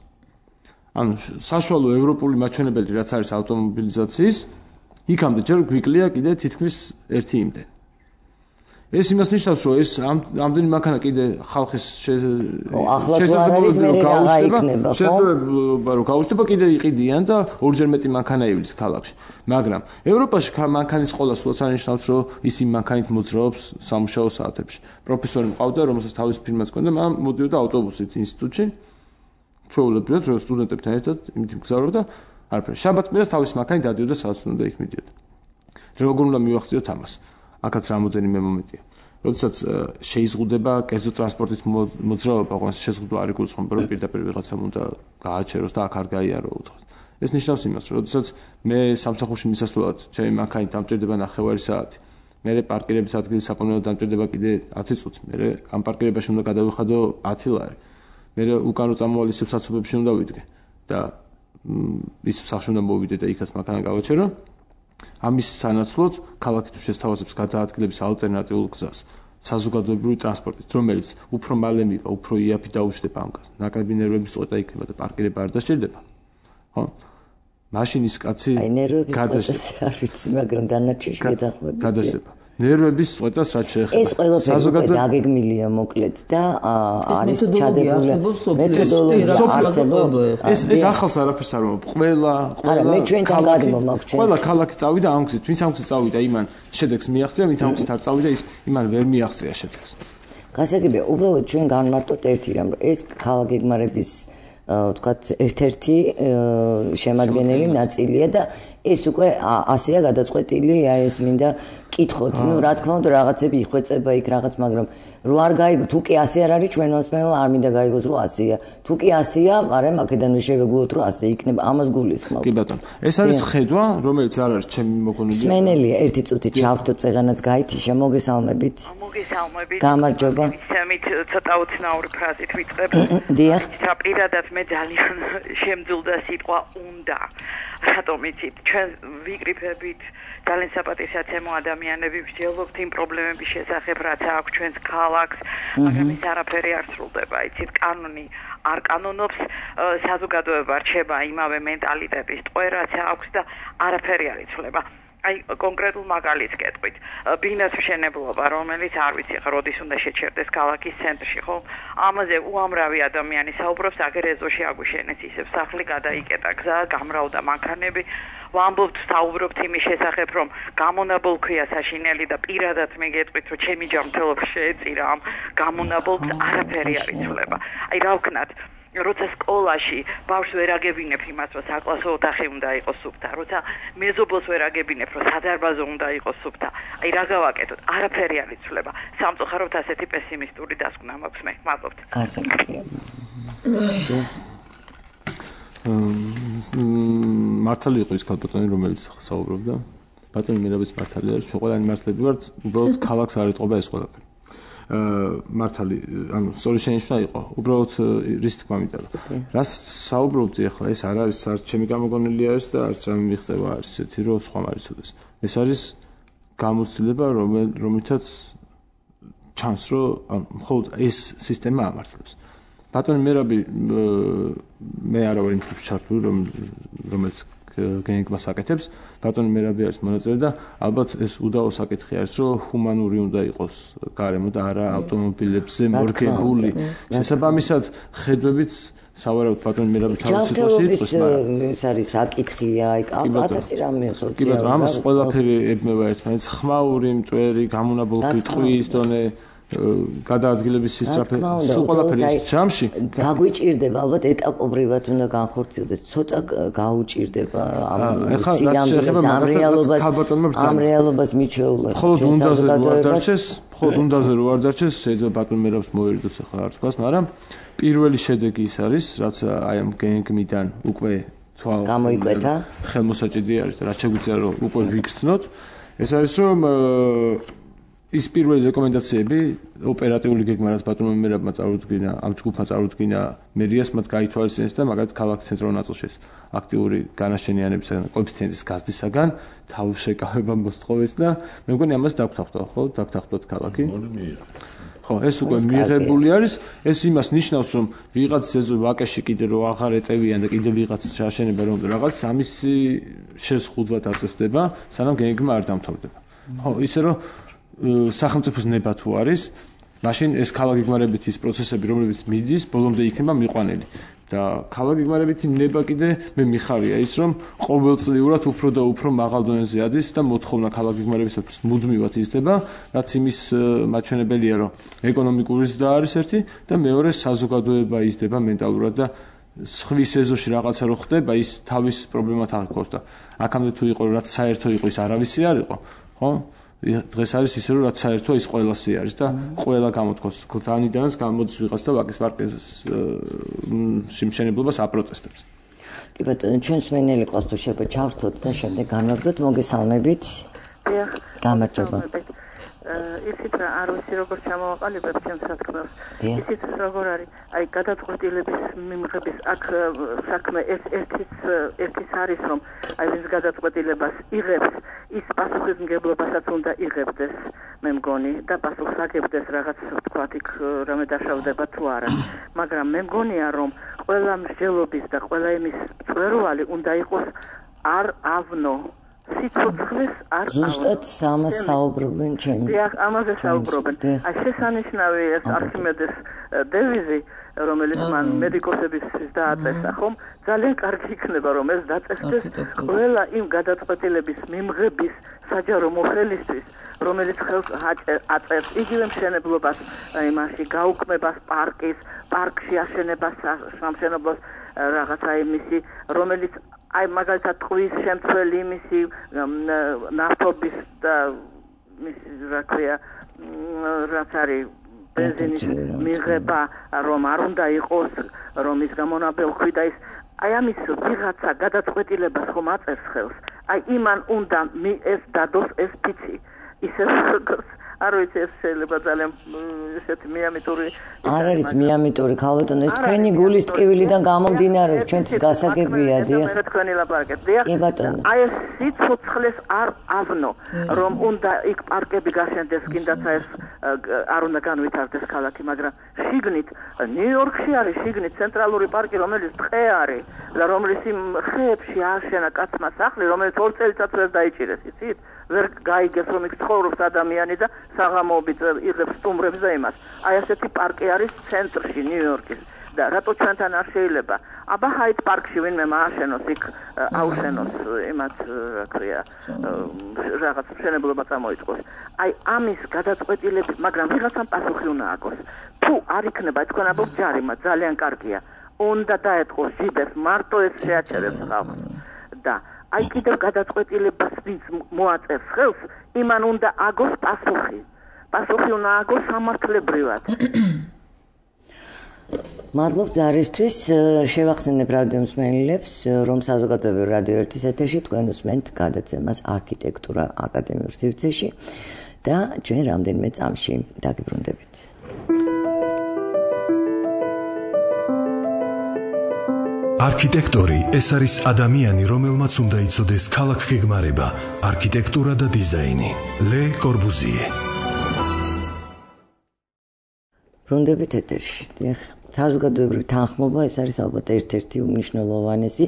ანუ საშუალო ევროპული მაჩვენებელი, რაც არის ავტომობილიზაციის, იქამდე ჯერ გვიკლია კიდე თითქმის ერთი იმდენ. ეს იმას ნიშნავს, რომ ეს ამდენი მანქანა კიდე ხალხის შესაძლებლობა გაუჩნდება, შესაძლებლობა რომ გაუჩნდება კიდე იყიდიან და ორჯერ მეტი მანქანა ივლის ქალაქში. მაგრამ ევროპაში მანქანის ყოლა სულაც არნიშნავს, რომ ის იმ მანქანით მოძრაობს სამუშაო საათებში. პროფესორი მყავდა, რომელსაც თავის ფირმაც ჰქონდა, მან მოდიოდა ავტობუსით ინსტიტუტში. ჩვეულებრივად, რომ სტუდენტებთან ერთად იმით მგზავრობდა, არაფერი. შაბათ-კვირას თავის მანქანით დადიოდა სადაც უნდა იქ მიდიოდა. როგორ უნდა მივახციოთ ამას? აქაც რამოდენიმე მომენტია. როდესაც შეიზღუდება კერძო ტრანსპორტით მოძრაობა, ყოველს შეზღუდვა არ იგულისხმება, რომ პირდაპირ ვიღაცამ უნდა გააჩეროს და აქ არ გაიარო უცხოს. ეს ნიშნავს იმას, რომ როდესაც მე სამსახურში მისასვლელად ჩემი მანქანით დამჭირდება ნახევარი საათი, მე პარკირების ადგილის საპონელად დამჭირდება კიდე ათი წუთი, მე ამ პარკირებაში უნდა გადავიხადო ათი ლარი, მე უკან რო წამოვალ ისევ საცობებში უნდა ვიდგე და ის სახში უნდა მოვიდე და იქაც მანქანა გავაჩერო. ამის სანაცვლოდ ქალაქი თუ შესთავაზებს გადაადგილების ალტერნატიულ გზას საზოგადოებრივი ტრანსპორტით, რომელიც უფრო მალე მივა, უფრო იაფი დაუშვება ამ გზას. ნაკლები ნერვების წყვეტა იქნება და პარკირება არ დასჭირდება. ხო? მაშინ ის კაცი გადაждდება არ ვიცი მაგრამ დანარჩენში გადახვდება გადაждდება ნერვების წვეტას რაც შეეხება ეს ყველაფერი დაგეგმილია მოკლედ და არის ჩადებული მეთოდოლოგია არსებობს ეს ეს ახალს არაფერს არ მომწ ყველა ყველა მე ჩვენთან გადმომაქვს ჩვენ ყველა ქალაქი წავიდა ამ გზით ვინც ამ გზით წავიდა იმან შედეგს მიაღწია ვინც ამ გზით არ წავიდა ის იმან ვერ მიაღწია შედეგს გასაგებია უბრალოდ ჩვენ განმარტოთ ერთი რამ რომ ეს ქალაქგეგმარების ვთქვათ ერთ-ერთი შემადგენელი ნაწილია და ეს უკვე ასეა გადაწყვეტილი აი ეს მინდა კითხოთ ნუ რა თქმა უნდა რაღაცები იხვეწება იქ რაღაც მაგრამ რო არ გაიგო თუ კი ასე არ არის ჩვენ მოსმენელმა არ მინდა გაიგოს რომ ასეა თუ კი ასეა მაგრამ აქედანვე შევეგუოთ რომ ასე იქნება ამას გულისხმობ კი ბატონო ეს არის ხედვა რომელიც არ არის ჩემი მოგონილი მსმენელია ერთი წუთი ჩავთო წეღანაც გაითიშა მოგესალმებით მოგესალმებით გამარჯობა ისემით ცოტა უცნაური ფრაზით ვიწყებ დიახ და პირადად მე ძალიან შემძულდა სიტყვა უნდა რატომ იცით ჩვენ ვიკრიფებით ძალიან საპატისაცემო ადამიანები ვსჯელობთ იმ პრობლემების შესახებ რაც აქვს ჩვენს ქალაქს მაგრამ ის არაფერი არ სრულდება იცით კანონი არ კანონობს საზოგადოება რჩება იმავე მენტალიტეტის ტყვე რაც აქვს და არაფერი არ იცვლება აი კონკრეტულ მაგალითს გეტყვით ბინას მშენებლობა რომელიც არ ვიცი ხა როდის უნდა შეჩერდეს ქალაქის ცენტრში ხო ამაზე უამრავი ადამიანი საუბრობს აგერ ეზოში აგვიშენეს ისევ სახლი გადაიკეტა გზა გამრავდა მანქანები ვამბობთ საუბრობთ იმის შესახებ რომ გამონაბოლქვია საშინელი და პირადად მე გეტყვით რომ ჩემი ჯანმრთელობა შეეწირა ამ გამონაბოლქვს არაფერი არ იცვლება აი რა ვქნათ როცა სკოლაში ბავშვს ვერ აგებინებ იმას რომ საკლასო ოთახი უნდა იყოს სუფთა როცა მეზობელს ვერ აგებინებ რომ სადარბაზო უნდა იყოს სუფთა აი რა გავაკეთოთ არაფერი არ იცვლება სამწუხაროდ ასეთი პესიმისტური დასკვნა მაქვს მე მადლობთ მართალი იყო ის ქალბატონი რომელიც საუბრობდა ბატონი მირაბის მართალია ჩვენ ყველანი მართლები ვართ უბრალოდ ქალაქს არ ეთყობა ეს ყველაფერი მართალი ანუ სწორი შენიშვნა იყო უბრალოდ რის თქმა მინდა რომ რას საუბრობთ ახლა ეს არ არის არც ჩემი გამოგონილი არის და არც რა მიღწევა არის ესეთი რომ სხვა მარიცოდეს ეს არის გამოცდილება რომელთაც ჩანს რომ მხოლოდ ეს სისტემა ამართლებს ბატონი მერაბი მე არა ვარ იმ ჯგუფში ჩართული რომელიც გენგმას აკეთებს ბატონი მერაბი არის მონაწილე და ალბათ ეს უდაო საკითხი არის რომ ჰუმანური უნდა იყოს გარემო და არა ავტომობილებზე მორგებული შესაბამისად ხედვებით სავარაუდოდ ბატონი მერაბი თავის სიტყვაში იყოს მაგრამ ეს არის საკითხია აი ათასი რამე სოციალური კი ბატონო ამას ყველაფერი ებმება ერთმანეთს ხმაური მტვერი გამონაბოლქვი ტყვის დონე გადაადგილების სისწრაფე სულ ყველაფერი ჯამში გაგვიჭირდება ალბათ ეტაპობრივად უნდა განხორციელდეს ცოტა გაუჭირდება ამ სიამოვნებას ამ რეალობას ამ რეალობას მიჩვეულა ხოლო უნდაზე რო არ დარჩეს ხოლო უნდაზე რო არ დარჩეს შეიძლება ბატონ მერაბს მოერიდოს ახლა არც ფას მაგრამ პირველი შედეგი ის არის რაც აი ამ გენგმიდან უკვე თვალ გამოიკვეთა ხელმოსაჭიდი არის და რაც შეგვიძლია რომ უკვე ვიგრძნოთ ეს არის რომ ის პირველი რეკომენდაციები ოპერატიული გეგმა რაც ბატონმა მერაბმა წარუდგინა ამ ჯგუფმა წარუდგინა მერიას მათ გაითვალისწინეს და მაგათ ქალაქის ცენტრალურ ნაწილში აქტიური განაშენიანებისაგან კოეფიციენტის გაზრდისაგან თავშეკავება მოსთხოვეს და მე მგონი ამას დაგთახდა ხო დაგთახდათ ქალაქი ხო ეს უკვე მიიღებული არის ეს იმას ნიშნავს რომ ვიღაც ეზო ვაკეში კიდე რო აღარ ეტევიან და კიდე ვიღაც შეაშენება რომ რაღაც სამისი შეზღუდვა დაწესდება სანამ გეგმა არ დამთავრდება ხო ისე რომ სახელმწიფოს ნება თუ არის, მაშინ ეს ქალაქგეგმარებითი პროცესები, რომლებიც მიდის, ბოლომდე იქნება მიყვანილი. და ქალაქგეგმარებითი ნება კიდე მე მიხარია ის, რომ ყოველწლიურად უფრო და უფრო მაღალ დონეზე ადის და მოთხოვნა ქალაქგეგმარებისათვის მუდმივად იზრდება, რაც იმის მაჩვენებელია, რომ ეკონომიკური ზრდა არის ერთი და მეორე საზოგადოება იზრდება მენტალურად და სხვის ეზოში რაღაცა რო ხდება, ის თავის პრობლემათ აღიქვავს და აქამდე თუ იყო რაც საერთო იყო ის არავისი არ იყო, ხო? დღეს არის ისე რომ რაც საერთოა ის ყველასი არის და ყველა გამოთქვას ქლთანიდანაც გამოდის ვიღაც და ვაკის პარკის სიმშენებლობას აპროტესტებს. კი ბატონო, ჩვენ სმენელი ყავს თუ შეიძლება ჩავთოთ და შემდეგ განვაგდოთ მოგესალმებით. დიახ. გამარჯობა. ისიც არ ვიცი როგორ ჩამოვაყალიბებ ჩემს საქმეს. ისიც როგორ არის, აი გადაწყვეტილების მიმღების აქ საქმე ეს ერთიც ერთიც არის რომ აი ეს გადაწყვეტილებას იღებს ის პასუხისმგებლობასაც უნდა იღებდეს მე მგონი და პასუხს აგებდეს რაღაც ვთქვათ იქ რამე დაშავდება თუ არა მაგრამ მე მგონია რომ ყველა მსჯელობის და ყველა იმის წვერვალი უნდა იყოს არ ავნო. სიცოცხლეს არ ავნო. ზუსტად ამას საუბრობენ ჩემი. დიახ, ამაზე საუბრობენ. აი შესანიშნავი ეს არქიმედეს დევიზი, რომელიც მან მედიკოსებისთვის დააწესა, ხომ? ძალიან კარგი იქნება, რომ ეს დაწესდეს ყველა იმ გადაწყვეტილების მიმღების საჯარო მოხელისთვის, რომელიც ხელს აწევს იგივე მშენებლობას, იმაში გაუქმებას პარკის, პარკში აშენებას სამშენებლოს რაღაცა იმისი, რომელიც აი მაგალითად ტყვის შემცველი იმისი ნავთობის და მისი რა ქვია რაც არის ბენზინის მიღება რომ არ უნდა იყოს რომ ის გამონაბელქვი და ის აი ამის ვიღაცა გადაწყვეტილებას ხომ აწერს ხელს აი იმან უნდა ეს დადოს ეს ფიცი ისე არ ვიცი ეს შეიძლება ძალიან ესეთი მიამიტური არ არის მიამიტური ქალბატონო ეს თქვენი გულის ტკივილიდან გამომდინარე ჩვენთვის გასაგებია დიახ მე თქვენი ლაპარაკეთ დიახ კი ბატონო აი ეს სიცოცხლეს არ ავნო რომ უნდა იქ პარკები გაშენდეს კიდაც ეს არ უნდა განვითარდეს ქალაქი მაგრამ შიგნით ნიუ-იორკში არის შიგნით ცენტრალური პარკი რომელიც ტყე არის და რომელიც იმ ხეებში აშენა კაცმა სახლი რომელიც ორ წელიწადს ვერ დაიჭირეს იცით ვერ გაიგეს რომ იქ ცხოვრობს ადამიანი და საღამოობით იღებს სტუმრებს და იმას. აი ასეთი პარკი არის ცენტრში ნიუ-იორკის და რატო ჩვენთან არ შეიძლება? აბა ჰაიდ პარკში ვინმე მააშენოს იქ აუშენოს იმათ რა ქვია რაღაც მშენებლობა წამოიწყოს. აი ამის გადაწყვეტილები, მაგრამ ვიღაცამ პასუხი უნდა ააგოს. თუ არ იქნება თქვენაბობ ჯარიმა ძალიან კარგია. უნდა დაეთყოს ჟიბეს მარტო ეს შეაჩერებს ხალხს და აი კიდევ გადაწყვეტილებას ვინც მოაწერს ხელს, იმან უნდა აგოს პასუხი. პასუხი უნდა აგოს სამართლებრივად. მადლობ ზარისთვის, შევახსენებ რადიო მსმენელებს, რომ საზოგადოებრივ რადიო ერთის ეთერში თქვენ უსმენთ გადაცემას არქიტექტურა აკადემიურ სივრცეში და ჩვენ რამდენიმე წამში დაგიბრუნდებით. არქიტექტორი ეს არის ადამიანი, რომელმაც უნდა იცოდეს ქალაქგეგმარება, არქიტექტურა და დიზაინი. ლე კორბუზიე. ბრუნდებით ეთერში. დიახ, საზოგადოებრივი თანხმობა ეს არის ალბათ ერთ-ერთი უმნიშვნელოვანესი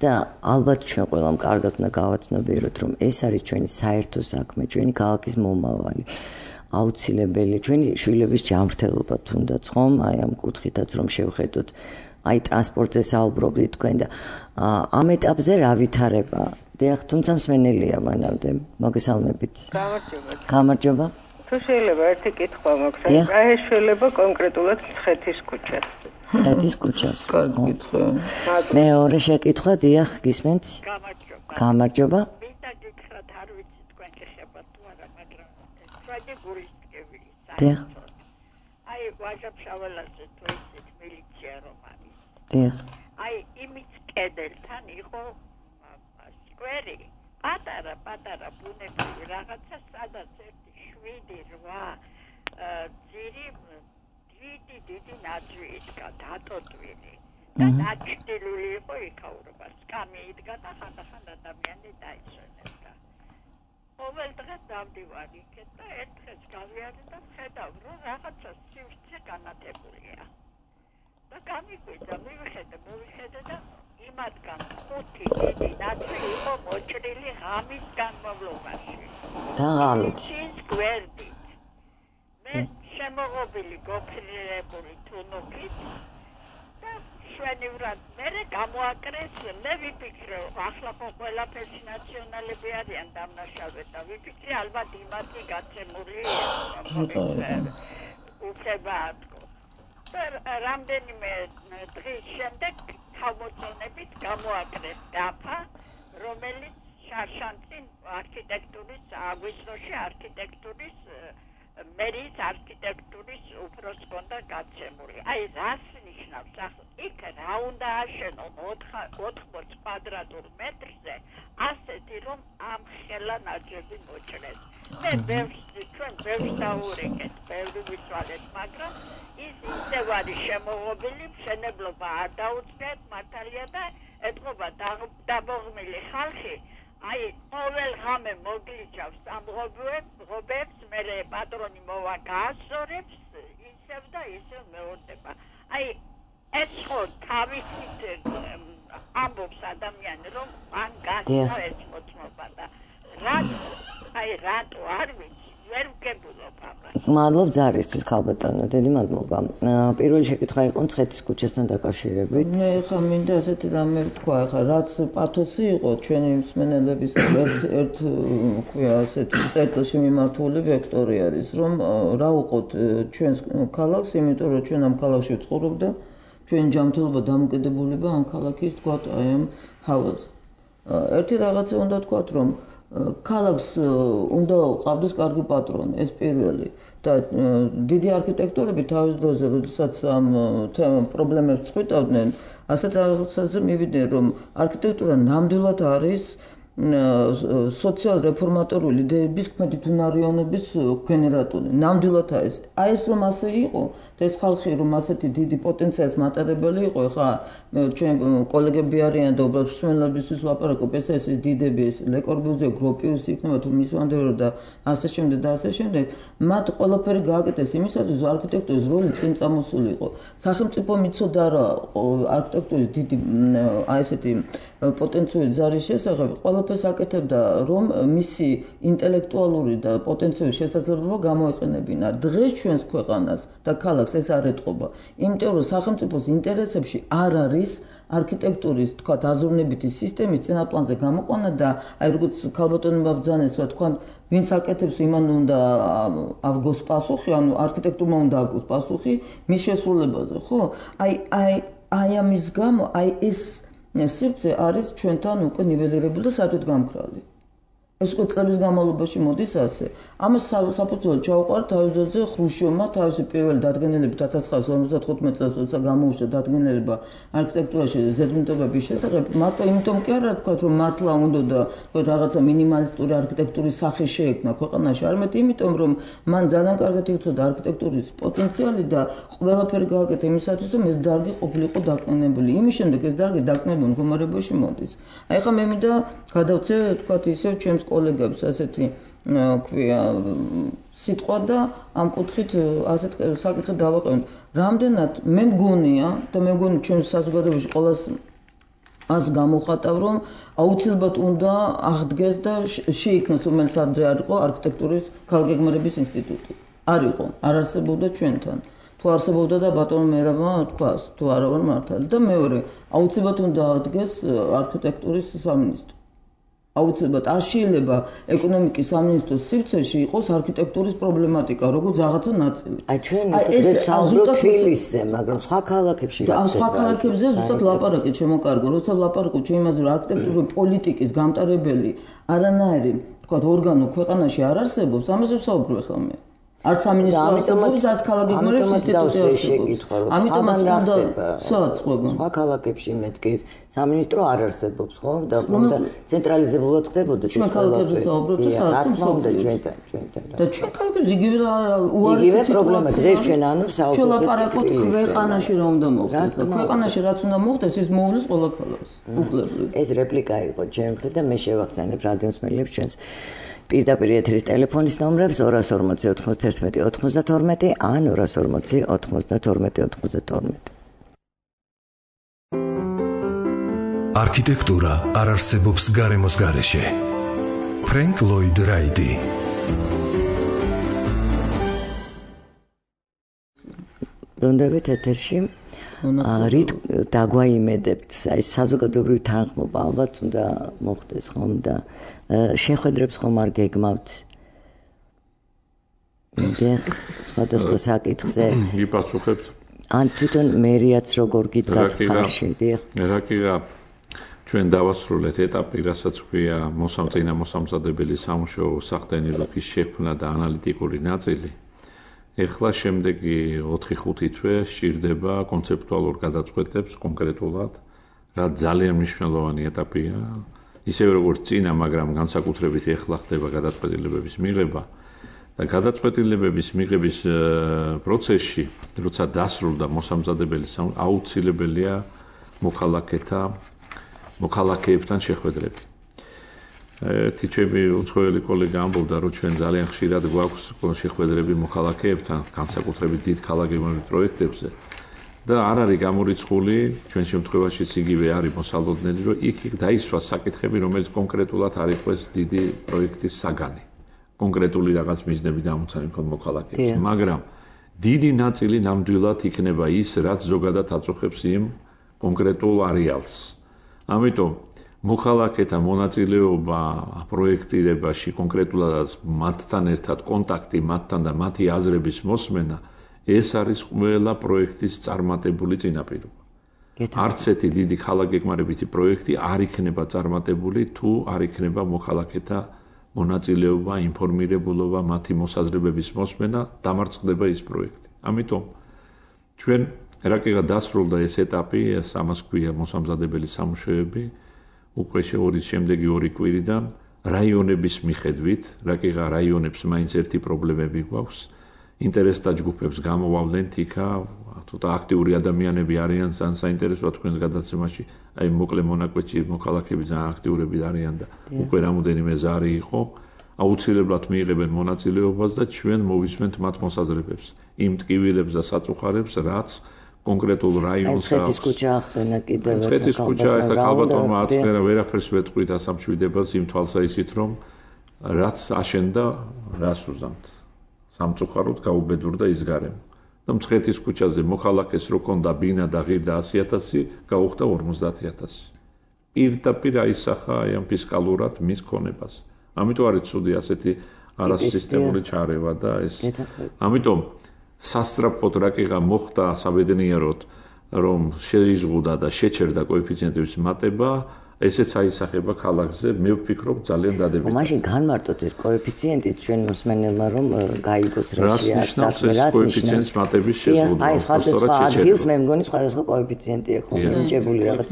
და ალბათ ჩვენ ყველამ კარგად უნდა გავაცნობიეროთ, რომ ეს არის ჩვენი საერთო საქმე, ჩვენი ქალაქის მომავალი. აუცილებელი ჩვენი შვილების ჯანმრთელობა თუნდაც ხომ, აი ამ კუთხითაც რომ შევხედოთ აი ტრანსპორტზე საუბრობდით თქვენ და ამ ეტაპზე რა ვითარება? დიახ, თუმცა მსმენელია მანამდე. მოგესალმებით. გამარჯობა. გამარჯობა. თუ შეიძლება ერთი კითხვა მაქვს, აი ეს შეიძლება კონკრეტულად მცხეთის ქუჩას. მცხეთის ქუჩას. კარგი კითხვა. მეორე შეკითხვა, დიახ, გისმენთ? გამარჯობა. გამარჯობა. მინდა გითხრათ, არ ვიცი თქვენ შეხებათ თუ არა, მაგრამ შვადი გულისტკივილი. დიახ. აი ვაჟა-ფშაველაძე თუ ისეთ მილიცია რომ არის. დიახ. აი იმის კედელთან იყო სკვერი, პატარა პატარა ბუნებრივი რაღაცა, სადაც ერთი შვიდი რვა ძირი დიდი დიდი ნაძვი იდგა დატოტვილი და დაჭრილი იყო იქაურობა, სკამი იდგა და ხანდახან ადამიანი დაიცვენებდა. ყოველ დღეს დავდივარ იქეთ და ერთ დღეს გავიარე და ვხედავ, რომ რაღაცა სივრცე განათებულია. და გამიკვირდა, მივიხედე, მივიხედე და იმათგან ხუთი დიდი ნაძვი იყო მოჭრილი ღამის განმავლობაში. და ღამით. ის გვერდით. მე შემოღობილი გოფრირებული თუნუქით და შვენივრად მერე გამოაკრეს, მე ვიფიქრე, ახლა ხო ყველაფერში ნაციონალები არიან დამნაშავე და ვიფიქრე, ალბათ იმათი გაცემულია. უხება რამდენიმე დღის შემდეგ თავმოწონებით გამოაკრეს დაფა, რომელიც შარშანწინ არქიტექტურის აგვისტოში არქიტექტურის მერიის არქიტექტურის უფროს ჰქონდა გაცემული. აი რას ნიშნავს ახლა იქ რა უნდა აშენონ ოთხმოც კვადრატულ მეტრზე ასეთი რომ ამ ხელა ნაძვები მოჭრეს. მე ბევრს ჩვენ ბევრს დავურეკეთ, ბევრი ვისვალეთ, მაგრამ ის ისევ არის შემოღობილი, მშენებლობა არ დაუწყეთ მართალია და ეთყობა დაბოღმილი ხალხი აი ყოველ ღამე მოგლიჩავს ამ ღობებს, მერე პატრონი მოვა გაასწორებს, ისევ და ისევ მეორდება. აი ეს ხო თავისით ამბობს ადამიანი რომ მან გაქნა ეს მოწმობა და რატო აი რატო არ ვიცი ვერ ვგებულობ ამას მადლობ ძარისთვის ქალბატონო დიდი მადლობა პირველი შეკითხვა იყო მცხეთის ქუჩასთან დაკავშირებით მე ხა მინდა ასეთი რამე ვთქვა ხა რაც პათოსი იყო ჩვენი მსმენელების ერთ ერთ ქვია ასეთი წერტილში მიმართული ვექტორი არის რომ რა უყოთ ჩვენს ქალაქს იმიტომ რომ ჩვენ ამ ქალაქში ვცხოვრობ და ჩვენ ჯანმრთელობა დამოკიდებულება ამ ქალაქის თქვა აი ამ ჰავაზე ერთი რაღაცა უნდა თქვათ რომ ქალაქს უნდა ყავდეს კარგი პატრონი ეს პირველი და დიდი არქიტექტორები თავის დროზე როდესაც ამ პრობლემებს წყვიტავდნენ ასეთ რაღაცაზე მივიდნენ რომ არქიტექტურა ნამდვილად არის სოციალ-რეფორმატორული იდეების ქმედითუნარიანობის გენერატორი ნამდვილად არის აი ეს რომ ასე იყო და ეს ხალხი რომ ასეთი დიდი პოტენციალის მატარებელი იყო ხა ჩვენ კოლეგები არიან და უბრალოდ მსმენელებისთვის ლაპარაკობ ეს ეს დიდები ეს ლე კორბუზიე გროპიუსი იქნება თუ მის ვანდერო და ასე შემდეგ და ასე შემდეგ მათ ყველაფერი გააკეთეს იმისათვის რომ არქიტექტურის როლი წინ წამოსულიყო სახელმწიფო მიცოდა რა არქიტექტურის დიდი აი ესეთი პოტენციური ზარის შესახებ ყველაფერს აკეთებდა რომ მისი ინტელექტუალური და პოტენციური შესაძლებლობა გამოეყენებინა დღეს ჩვენს ქვეყანას და ქალაქს ეს არ ეტყობა იმიტომ რომ სახელმწიფოს ინტერესებში არ არის არქიტექტურის თქვა აზროვნებითი სისტემის წინაპლანზე გამოყვანა და აი როგორც ქალბატონებმა ბრძანეს რა თქვა ვინც აკეთებს იმან უნდა აღგოს პასუხი ანუ არქიტექტურმა უნდა აგოს პასუხი მის შესრულებაზე ხო აი აი აი ამის გამო აი ეს სივრცე არის ჩვენთან უკვე ნიველირებული და საერთოდ გამქრალი ეს უკვე წლების განმავლობაში მოდის ასე ამას საფუძველი ჩაუყარა თავის დროზე ხრუშჩოვმა თავისი პირველი დადგენილებით ათას ცხრაასი ორმოცდახუთმეტ წელს როცა გამოუშვა დადგენილება არქიტექტურაში ზედმეტობების შესახებ მარტო იმიტომ კი არა თქვა რომ მართლა უნდა და რაღაცა მინიმალისტური არქიტექტურის სახე შეექმნა ქვეყანაში არამედ იმიტომ რომ მან ძალიან კარგად იცოდა არქიტექტურის პოტენციალი და ყველაფერი გააკეთა იმისათვის რომ ეს დარგი ყოფილიყო დაკნინებული იმის შემდეგ ეს დარგი დაკნინებულ მდგომარეობაში მოდის აი ხა მე მინდა გადავწე თქვა ისევ ჩემს კოლეგებს ასეთი ქვია სიტყვა და ამ კუთხით ასეთ საკითხი დავაყენოთ რამდენად მე მგონია და მე მგონი ჩვენს საზოგადოებაში ყოველას ას გამოხატავ რომ აუცილებლად უნდა აღდგეს და შეიქმნას რომელიც ადრე არ იყო არქიტექტურის ქალგეგმარების ინსტიტუტი არ იყო არ არსებობდა ჩვენთან თუ არსებობდა და ბატონო მერაბმა თქვას თუ არა ვარ მართალი და მეორე აუცილებლად უნდა აღდგეს არქიტექტურის სამინისტრო აუცილებლად არ შეიძლება ეკონომიკის სამინისტროს სივრცეში იყოს არქიტექტურის პრობლემატიკა, როგორც რაღაცა ნაწილი. აი ჩვენ ეს საუბრობთ თბილისზე, მაგრამ სხვა ქალაქებში რა ხდება? სხვა ქალაქებზე ზუსტად ლაპარაკი შემოკარგო, როცა ლაპარაკობ ჩვენ იმაზე, რომ არქიტექტურული პოლიტიკის გამტარებელი არანაირი, თქვა ორგანო ქვეყანაში არ არსებობს, ამაზე ვსაუბრობ ახლა მე. არც სამინისტრო არსებობს, არც ქალაქგეგმარების ინსტიტუტი არსებობს. ამიტომაც უნდა სადაც ყვეგან. სხვა ქალაქებში მეთქეს სამინისტრო არ არსებობს, ხო? და უნდა ცენტრალიზებულად ხდებოდა ეს ყველა. ჩვენ ქალაქებზე საუბრობთ და სადაც უნდა ჩვენთან, ჩვენთან. და ჩვენ ქალაქებში იგივე უარესი პრობლემა დღეს ჩვენ ანუ საუბრობთ. ჩვენ ლაპარაკობთ ქვეყანაში რა უნდა მოხდეს. ქვეყანაში რაც უნდა მოხდეს, ის მოუვლის ყველა ქალაქს. უკლებლივ. ეს რეპლიკა იყო ჩემთვის და მე შევახსენებ რადიოს მელებს ჩვენს პირდაპირ ეთერის ტელეფონის ნომრებს ორას ორმოცი ოთხმოცდაერთმეტი ოცდათორმეტი ან ორას ორმოცი ოცდათორმეტი ოცდათორმეტი. არქიტექტურა არ არსებობს გარემოს გარეშე. ფრენკ ლოიდ რაიტი. ბრუნდებით ეთერში. რით დაგვაიმედებთ აი საზოგადოებრივი თანხმობა ალბათ უნდა მოხდეს ხომ და შეხვედრებს ხომ არ გეგმავთ მე სხვადასხვა საკითხზე იპასუხებთ ან თვითონ მერიაც როგორ გიდგათ ხარში დიახ რა კი რა ჩვენ დავასრულეთ ეტაპი რასაც ქვია მოსამწინა მოსამზადებელი სამუშაო სახდენილობის შექმნა და ანალიტიკური ნაწილი ეხლა შემდეგი ოთხი ხუთი თვე სჭირდება კონცეპტუალურ გადაწყვეტებს კონკრეტულად, რა ძალიან მნიშვნელოვანი ეტაპია, ისევე როგორც წინა, მაგრამ განსაკუთრებით ეხლა ხდება გადაწყვეტილებების მიღება და გადაწყვეტილებების მიღების პროცესში, როცა დასრულდა მოსამზადებელი აუცილებელია მოქალაქეთა მოქალაქეებთან შეხვედრები. ერთი ჩემი უცხოელი კოლეგა ამბობდა, რომ ჩვენ ძალიან ხშირად გვაქვს შეხვედრები მოქალაქეებთან, განსაკუთრებით დიდ ქალაქგეგმარებით პროექტებზე და არ არის გამორიცხული ჩვენ შემთხვევაშიც იგივე არის მოსალოდნელი რომ იქ იქ დაისვა საკითხები რომელიც კონკრეტულად არ იყოს დიდი პროექტის საგანი კონკრეტული რაღაც მიზნები დამოცანი ქონ მოქალაქეებს მაგრამ დიდი ნაწილი ნამდვილად იქნება ის რაც ზოგადად აწუხებს იმ კონკრეტულ არეალს ამიტომ მოქალაქეთა მონაწილეობა პროექტირებაში კონკრეტულად მათთან ერთად კონტაქტი მათთან და მათი აზრების მოსმენა ეს არის ყველა პროექტის წარმატებული წინაპირობა. არც ერთი დიდი ქალაქგეგმარებითი პროექტი არ იქნება წარმატებული თუ არ იქნება მოქალაქეთა მონაწილეობა, ინფორმირებულობა, მათი მოსაზრებების მოსმენა, დამარცხდება ის პროექტი. ამიტომ ჩვენ რაკეღა დასრულდა ეს ეტაპი, ეს ამას ქვია მოსამზადებელი სამუშაოები, უკვე შეორის შემდეგი ორი კვირიდან რაიონების მიხედვით, რაკეღა რაიონებს მაინც ერთი პრობლემები გვაქვს. ინტერესთა ჯგუფებს გამოვავლენთ იქა, ცოტა აქტიური ადამიანები არიან ძალიან საინტერესოა თქვენს გადაცემაში, აი მოკლე მონაკვეთში მოქალაქეები ძალიან აქტიურები არიან და უკვე რამოდენიმე ზარი იყო, აუცილებლად მიიღებენ მონაწილეობას და ჩვენ მოვისმენთ მათ მოსაზრებებს, იმ ტკივილებს და საწუხარებს, რაც კონკრეტულ რაიონს მცხეთის ქუჩა ახსენა კიდევ ერთხელ. მცხეთის ქუჩა ახლა ქალბატონმა აწმერა ვერაფერს ვეთყვით ასამშვიდებელს იმ თვალსაჩინით რომ რაც აშენდა, რას უზამთ. სამწუხაროდ გაუბედურდა ის გარემო. და მცხეთის ქუჩაზე მოქალაქეს რო კონდა ბინა და ღირდა ასი ათასი, გაუხდა ორმოცდაათი ათასი. პირდაპირ აისახა აი ამ ფისკალურად მის ქონებას. ამიტომ არის ცუდი ასეთი არასისტემური ჩარევა და ეს. ამიტომ სასწრაფოდ რაკეღა მოხდა საბედნიეროდ რომ შეიზღუდა და შეჩერდა კოეფიციენტების მატება ესეც აისახება ქალაქზე, მე ვფიქრობ ძალიან დადებითად. მაშინ განმარტოთ ეს კოეფიციენტი ჩვენ მოსმენელმა რომ გაიგოს რა შეაქვს საქმე, რას კოეფიციენტის მატების შეზღუდვა. აი სხვადასხვა ადგილს მე მგონი სხვადასხვა კოეფიციენტია ხოლმე მინიჭებული რაღაც.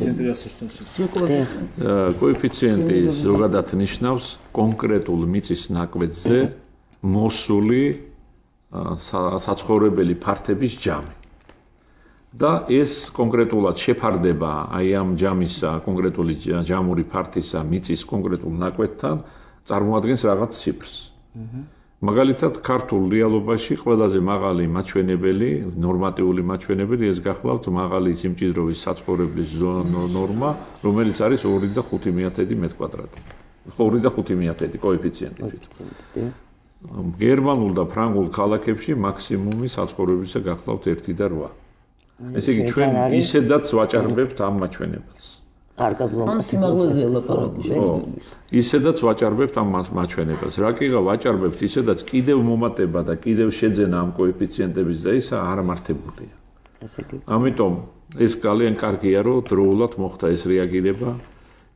კოეფიციენტი ზოგადად ნიშნავს კონკრეტულ მიწის ნაკვეთზე მოსული საცხოვრებელი ფართების ჯამი. და ეს კონკრეტულად შეფარდება აი ამ ჯამისა, კონკრეტული ჯამური ფართისა მიწის კონკრეტულ ნაკვეთთან წარმოადგენს რაღაც ციფრს. მაგალითად, ქართულ რეალობაში ყველაზე მაღალი მაჩვენებელი, ნორმატიული მაჩვენებელი ეს გახლავთ მაღალი სიმჭიდროვის საცხოვრებლის ნორმა, რომელიც არის ორი და ხუთი მეათედი მეტრი კვადრატი. ორი და ხუთი მეათედი კოეფიციენტი თვითონ. გერმანულ და ფრანგულ ქალაქებში მაქსიმუმი საცხოვრებისა გახლავთ ერთი და რვა. ესე იგი ჩვენ ისედაც ვაჭარბებთ ამ მაჩვენებელს. კარგად ლაპარაკობთ. ან სიმაღლეზე ლაპარაკობთ. ისედაც ვაჭარბებთ ამ მაჩვენებელს. რაკეღა ვაჭარბებთ ისედაც კიდევ მომატება და კიდევ შეძენა ამ კოეფიციენტების და ისა არ მართებულია. ესე იგი. ამიტომ ეს ძალიან კარგია რომ დროულად მოხდა ეს რეაგირება.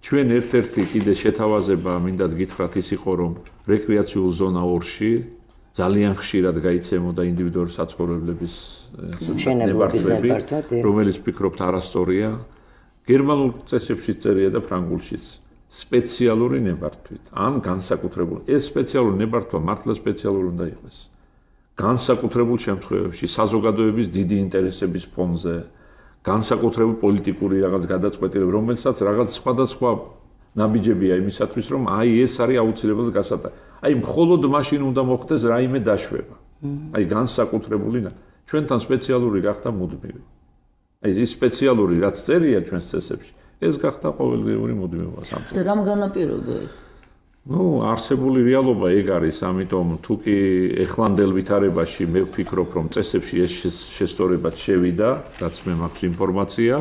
ჩვენ ერთ-ერთი კიდე შეთავაზება მინდათ გითხრათ ის იყო რომ რეკრეაციულ ზონა ორში ძალიან ხშირად გაიცემოდა ინდივიდუალური საცხოვრებლების ნებართვები, რომელიც ვფიქრობთ არასწორია. გერმანულ წესებშიც წერია და ფრანგულშიც. სპეციალური ნებართვით, ან განსაკუთრებული. ეს სპეციალური ნებართვა მართლა სპეციალური უნდა იყოს. განსაკუთრებულ შემთხვევებში, საზოგადოების დიდი ინტერესების ფონზე, განსაკუთრებული პოლიტიკური რაღაც გადაწყვეტილება, რომელსაც რაღაც სხვადასხვა ნაბიჯებია იმისათვის, რომ აი ეს არის აუცილებლად გასატარებელი. აი მხოლოდ მაშინ უნდა მოხდეს რაიმე დაშვება. აი განსაკუთრებული ჩვენთან სპეციალური გახდა მუდმივი. აი ეს სპეციალური რაც წერია ჩვენს წესებში, ეს გახდა ყოველდღიური მუდმივობა სამწუხაროდ. და რამ განაპირობა ეს? ნუ არსებული რეალობა ეგ არის, ამიტომ თუ კი ეხლანდელ ვითარებაში მე ვფიქრობ, რომ წესებში ეს შესწორებაც შევიდა, რაც მე მაქვს ინფორმაცია.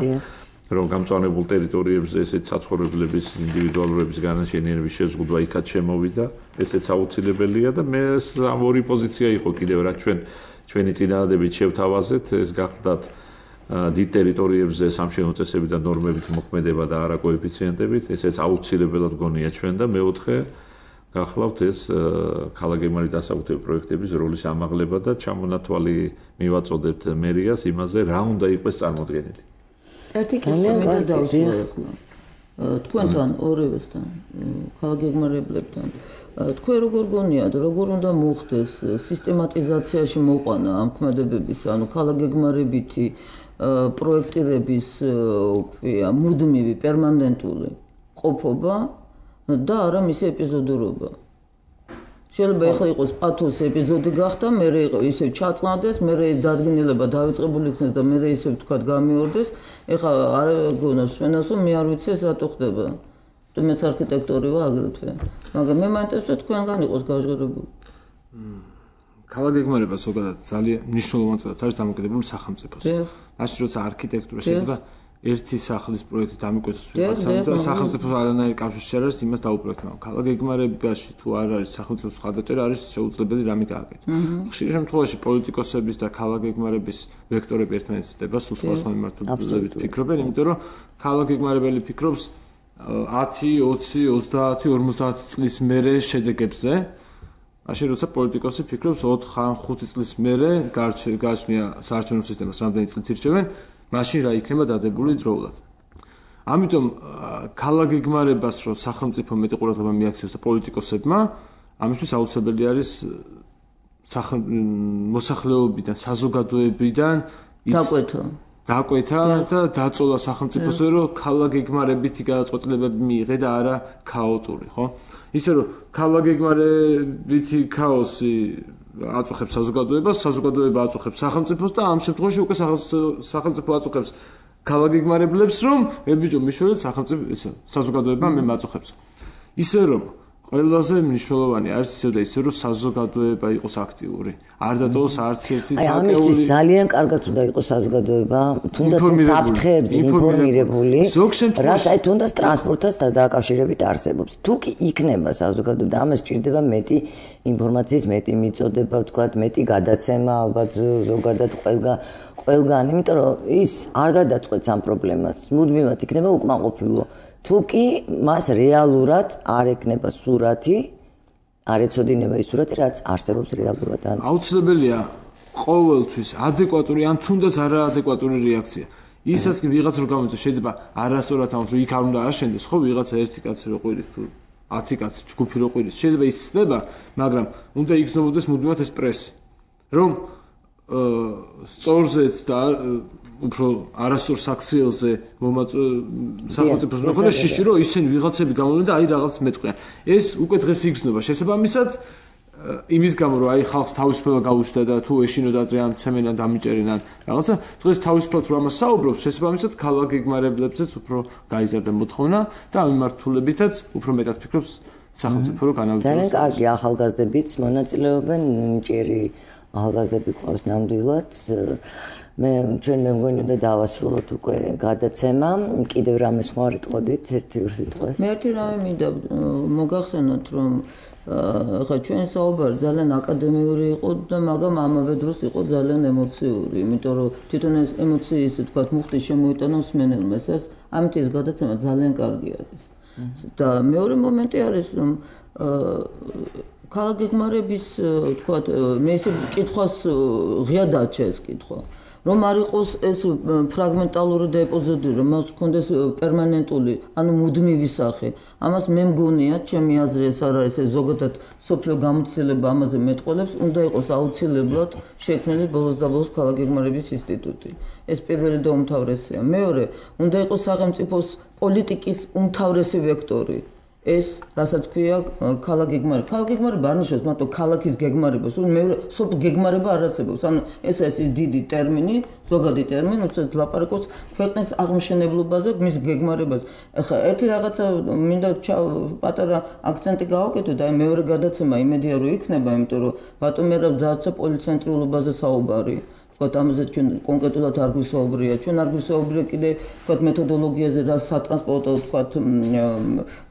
რომ გამწვანებულ ტერიტორიებზე ესეთ საცხოვრებლების ინდივიდუალურების განაშენიანების შეზღუდვა იქაც შემოვიდა, ესეც აუცილებელია და მე ამ ორი პოზიცია იყო კიდევ რა ჩვენ ჩვენი წინადადებით შევთავაზეთ, ეს გახდათ დიდ ტერიტორიებზე სამშენებლო წესები და ნორმებით მოქმედება და არა კოეფიციენტებით, ესეც აუცილებლად გონია ჩვენ და მეოთხე გახლავთ ეს ქალაქგეგმარებით დასაბუთებელ პროექტების როლის ამაღლება და ჩამონათვალი მივაწოდებთ მერიას იმაზე რა უნდა იყოს წარმოდგენილი. ერთი კითხვა მე დავსვლა. თქვენთან ორივესთან, ქალაქგეგმარებლებთან, თქვენ როგორ გონიათ, როგორ უნდა მოხდეს სისტემატიზაციაში მოყვანა ამ ქმედებების, ანუ ქალაქგეგმარებითი პროექტირების, ქვია, მუდმივი, პერმანენტული ყოფობა და არა მისი ეპიზოდურობა. შეიძლება ეხლა იყოს პათოს ეპიზოდი გახდა, მე იყო ისევ ჩაწყნადეს, მე დადგენილება დავიწყებული იქნეს და მე ისევ თქვა გამიორდეს. ეხლა არ გონობს სვენას, რომ მე არ ვიცი ეს რატო ხდება. თუ მეც არქიტექტორი ვარ აგრეთვე. მაგრამ მე მაინტერესებს თქვენგან იყოს გაჟღერებული. ქალაქ გეგმარება ზოგადად ძალიან მნიშვნელოვანი წელად არის დამოკიდებული სახელმწიფოს. მაშინ როცა არქიტექტურა შეიძლება ერთი სახლის პროექტი დამიკვეთოს ვიღაცამ და სახელმწიფოს არანაირი კავშირი არ არის იმას დაუპროექტებმა. ქალაქ გეგმარებაში თუ არ არის სახელმწიფოს ხარდაჭერა არის შეუძლებელი რამე გააკეთოს. ხშირ შემთხვევაში პოლიტიკოსების და ქალაქ გეგმარების ვექტორები ერთმანეთს ცდება, სულ სხვადასხვა მიმართულებით ფიქრობენ, იმიტომ რომ ქალაქ გეგმარებელი ფიქრობს ათი, ოცი, ოცდაათი, ორმოცდაათი წლის მერე შედეგებზე. მაშინ როცა პოლიტიკოსი ფიქრობს ოთხ ან ხუთი წლის მერე გააჩნია საარჩევნო სისტემას რამდენი წლით ირჩევენ, მაშინ რა იქნება დადებული დროულად. ამიტომ ქალაქ გეგმარებას რო სახელმწიფო მეტი ყურადღება მიაქციოს და პოლიტიკოსებმა, ამისთვის აუცილებელი არის მოსახლეობიდან, საზოგადოებიდან დაკვეთა დაკვეთა და დაწოლა სახელმწიფოსზე, რომ ქალაქ გეგმარებითი გადაწყვეტილებები მიიღე და არა ქაოტური, ხო? ისე რომ ქალაქ გეგმარებითი ქაოსი აწუხებს საზოგადოებას, საზოგადოება აწუხებს სახელმწიფოს და ამ შემთხვევაში უკვე სახელმწიფო აწუხებს ქალაქ გეგმარებლებს, რომ ებიჯო მიშველეთ სახელმწიფო ესე საზოგადოება მე მაწუხებს. ისე რომ ყველაზე მნიშვნელოვანი არის ისე და ისე რომ საზოგადოება იყოს აქტიური. არ დატოვოს არც ერთი აი ამისთვის ძალიან კარგად უნდა იყოს საზოგადოება, თუნდაც საფრთხეებზე ინფორმირებული, რაც აი თუნდაც ტრანსპორტთან დაკავშირებით არსებობს. თუ კი იქნება საზოგადოება და ამას ჭირდება მეტი ინფორმაციის მეტი მიწოდება, ვთქვათ, მეტი გადაცემა, ალბათ ზოგადად ყველგან ყველგან, იმიტომ რომ ის არ გადაწყვეტს ამ პრობლემას. მუდმივად იქნება უკმაყოფილო. თუ კი მას რეალურად არ ეკნება სურათი, არ ეცოდინება ის სურათი, რაც არსებობს რეალურად. აუცილებელია ყოველთვის ადეკვატური ან თუნდაც არაადეკვატური რეაქცია. ისაც კი ვიღაც რო გამოიწვევს, შეიძლება არასწორად ამბობს, რომ იქ არ უნდა აშენდეს, ხო, ვიღაცა ერთი კაცი რო ყვირის თუ ათი კაცი ჯგუფი რო ყვირის, შეიძლება ის ცდება, მაგრამ უნდა იგრძნობოდეს მუდმივად ეს პრესი, რომ სწორზეც და უფრო არასწორ საქციელზე სახელმწიფოს უნდა ქონდეს შიში, რომ ისინი ვიღაცები გამოვლენ და აი რაღაც მეტყვიან. ეს უკვე დღეს იგრძნობა. შესაბამისად იმის გამო რომ აი ხალხს თავისუფლება გაუჩნდა და თუ ეშინოდა დღე ამ ცემენან დამიჭერინან რაღაცა დღეს თავისუფლად რომ ამას საუბრობს, შესაბამისად ქალაქ გეგმარებლებზეც უფრო გაიზარდა მოთხოვნა და ამ მიმართულებითაც უფრო მეტად ფიქრობს სახელმწიფო რომ განავიწყოს. ძალიან კარგი ახალგაზრდებიც მონაწილეობენ, ჭირი ახალგაზრდები ყავს ნამდვილად. მე ჩვენ მე მგონი უნდა დავასრულოთ უკვე გადაცემა. კიდევ რამე სხვა არ იტყოდით ერთი ორ სიტყვას? მე ერთი რამე მინდა მოგახსენოთ, რომ ხა ჩვენ საუბარი ძალიან აკადემიური იყო და მაგრამ ამავე დროს იყო ძალიან ემოციური, იმიტომ რომ თვითონ ეს ემოციის თქვა მუხტი შემოიტანა მსმენელმა, ეს ამით ეს გადაცემა ძალიან კარგი არის. და მეორე მომენტი არის, რომ ქალაქ გეგმარების თქვა მე ისე კითხვას ღია დაჩა ეს კითხვა. რომ არ იყოს ეს ფრაგმენტალური და ეპიზოდური, რომ მას ჰქონდეს პერმანენტული, ანუ მუდმივი სახე. ამას მე მგონია, ჩემი აზრი ეს არ არის, ეს ზოგადად სოფლიო გამოცდილება ამაზე მეტყოლებს, უნდა იყოს აუცილებლად შექმნილი ბოლოს და ბოლოს ქალაქ გეგმარების ინსტიტუტი. ეს პირველი და უმთავრესია. მეორე, უნდა იყოს სახელმწიფოს პოლიტიკის უმთავრესი ვექტორი. ეს რასაც ქვია ქალაქ გეგმარება. ქალაქ გეგმარება არ ნიშნავს მარტო ქალაქის გეგმარებას, მე სოფ გეგმარება არ არსებობს. ანუ ეს ეს დიდი ტერმინი, ზოგადი ტერმინი, უცებ ლაპარაკობს ქვეყნის აღმშენებლობაზე, მის გეგმარებას. ეხლა ერთი რაღაცა მინდა პატარა აქცენტი გავაკეთო და აი მეორე გადაცემა იმედია რომ იქნება, იმიტომ რომ ბატონ მერაბ დააცა პოლიცენტრიულობაზე საუბარი. ვთქვათ, ამაზე ჩვენ კონკრეტულად არ გვისაუბრია. ჩვენ არ გვისაუბრია კიდე ვთქვათ მეთოდოლოგიაზე, რა სატრანსპორტო ვთქვათ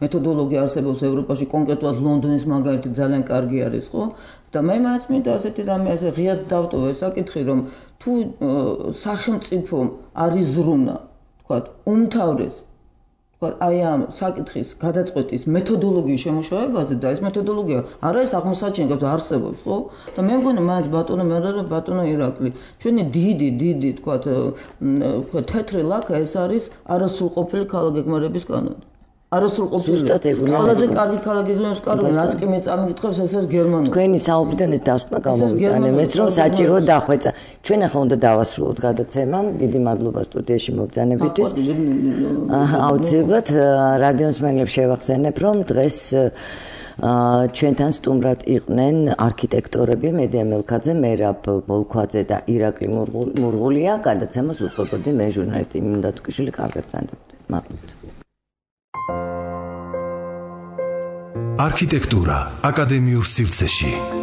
მეთოდოლოგია არსებობს ევროპაში, კონკრეტულად ლონდონის მაგალითი ძალიან კარგი არის, ხო? და მე მაინც მინდა ასეთი რამე ასე ღიად დავტოვო ეს საკითხი, რომ თუ სახელმწიფო არის ზრუნა, ვთქვათ, უმთავრეს აი ამ საკითხის გადაწყვეტის მეთოდოლოგიის შემუშავებაზე და ეს მეთოდოლოგია არ არის აღმოსაჩენი, არსებობს, ხო? და მე მგონი მაინც ბატონო მე და ბატონო ირაკლი, ჩვენი დიდი, დიდი, თქვათ, თქვათ, თეთრი ლაქა ეს არის არასრულყოფილი ქალაქ გეგმარების კანონი. არასრულყოფილი. ყველაზე კარგი ქალაქ გეგმარების კანონი, რაც კი მე წამიკითხებს, ეს არის გერმანული. თქვენი საუბრიდან ეს დასკვნა გამოვიტანე, მეც რომ საჭირო დახვეწა. ჩვენ ახლა უნდა დავასრულოთ გადაცემა. დიდი მადლობა სტუდიაში მობრძანებისთვის. აუცილებლად რადიოს მსმენელებს შევახსენებ, რომ დღეს ჩვენთან სტუმრად იყვნენ არქიტექტორები მედია მელქაძე, მერაბ ბოლქვაძე და ირაკლი მურღულია. გადაცემას უწყობოდი მე ჟურნალისტი მინდა თუქიშვილი. კარგად გრძანდებოდეთ. მადლობთ. არქიტექტურა აკადემიურ სივრცეში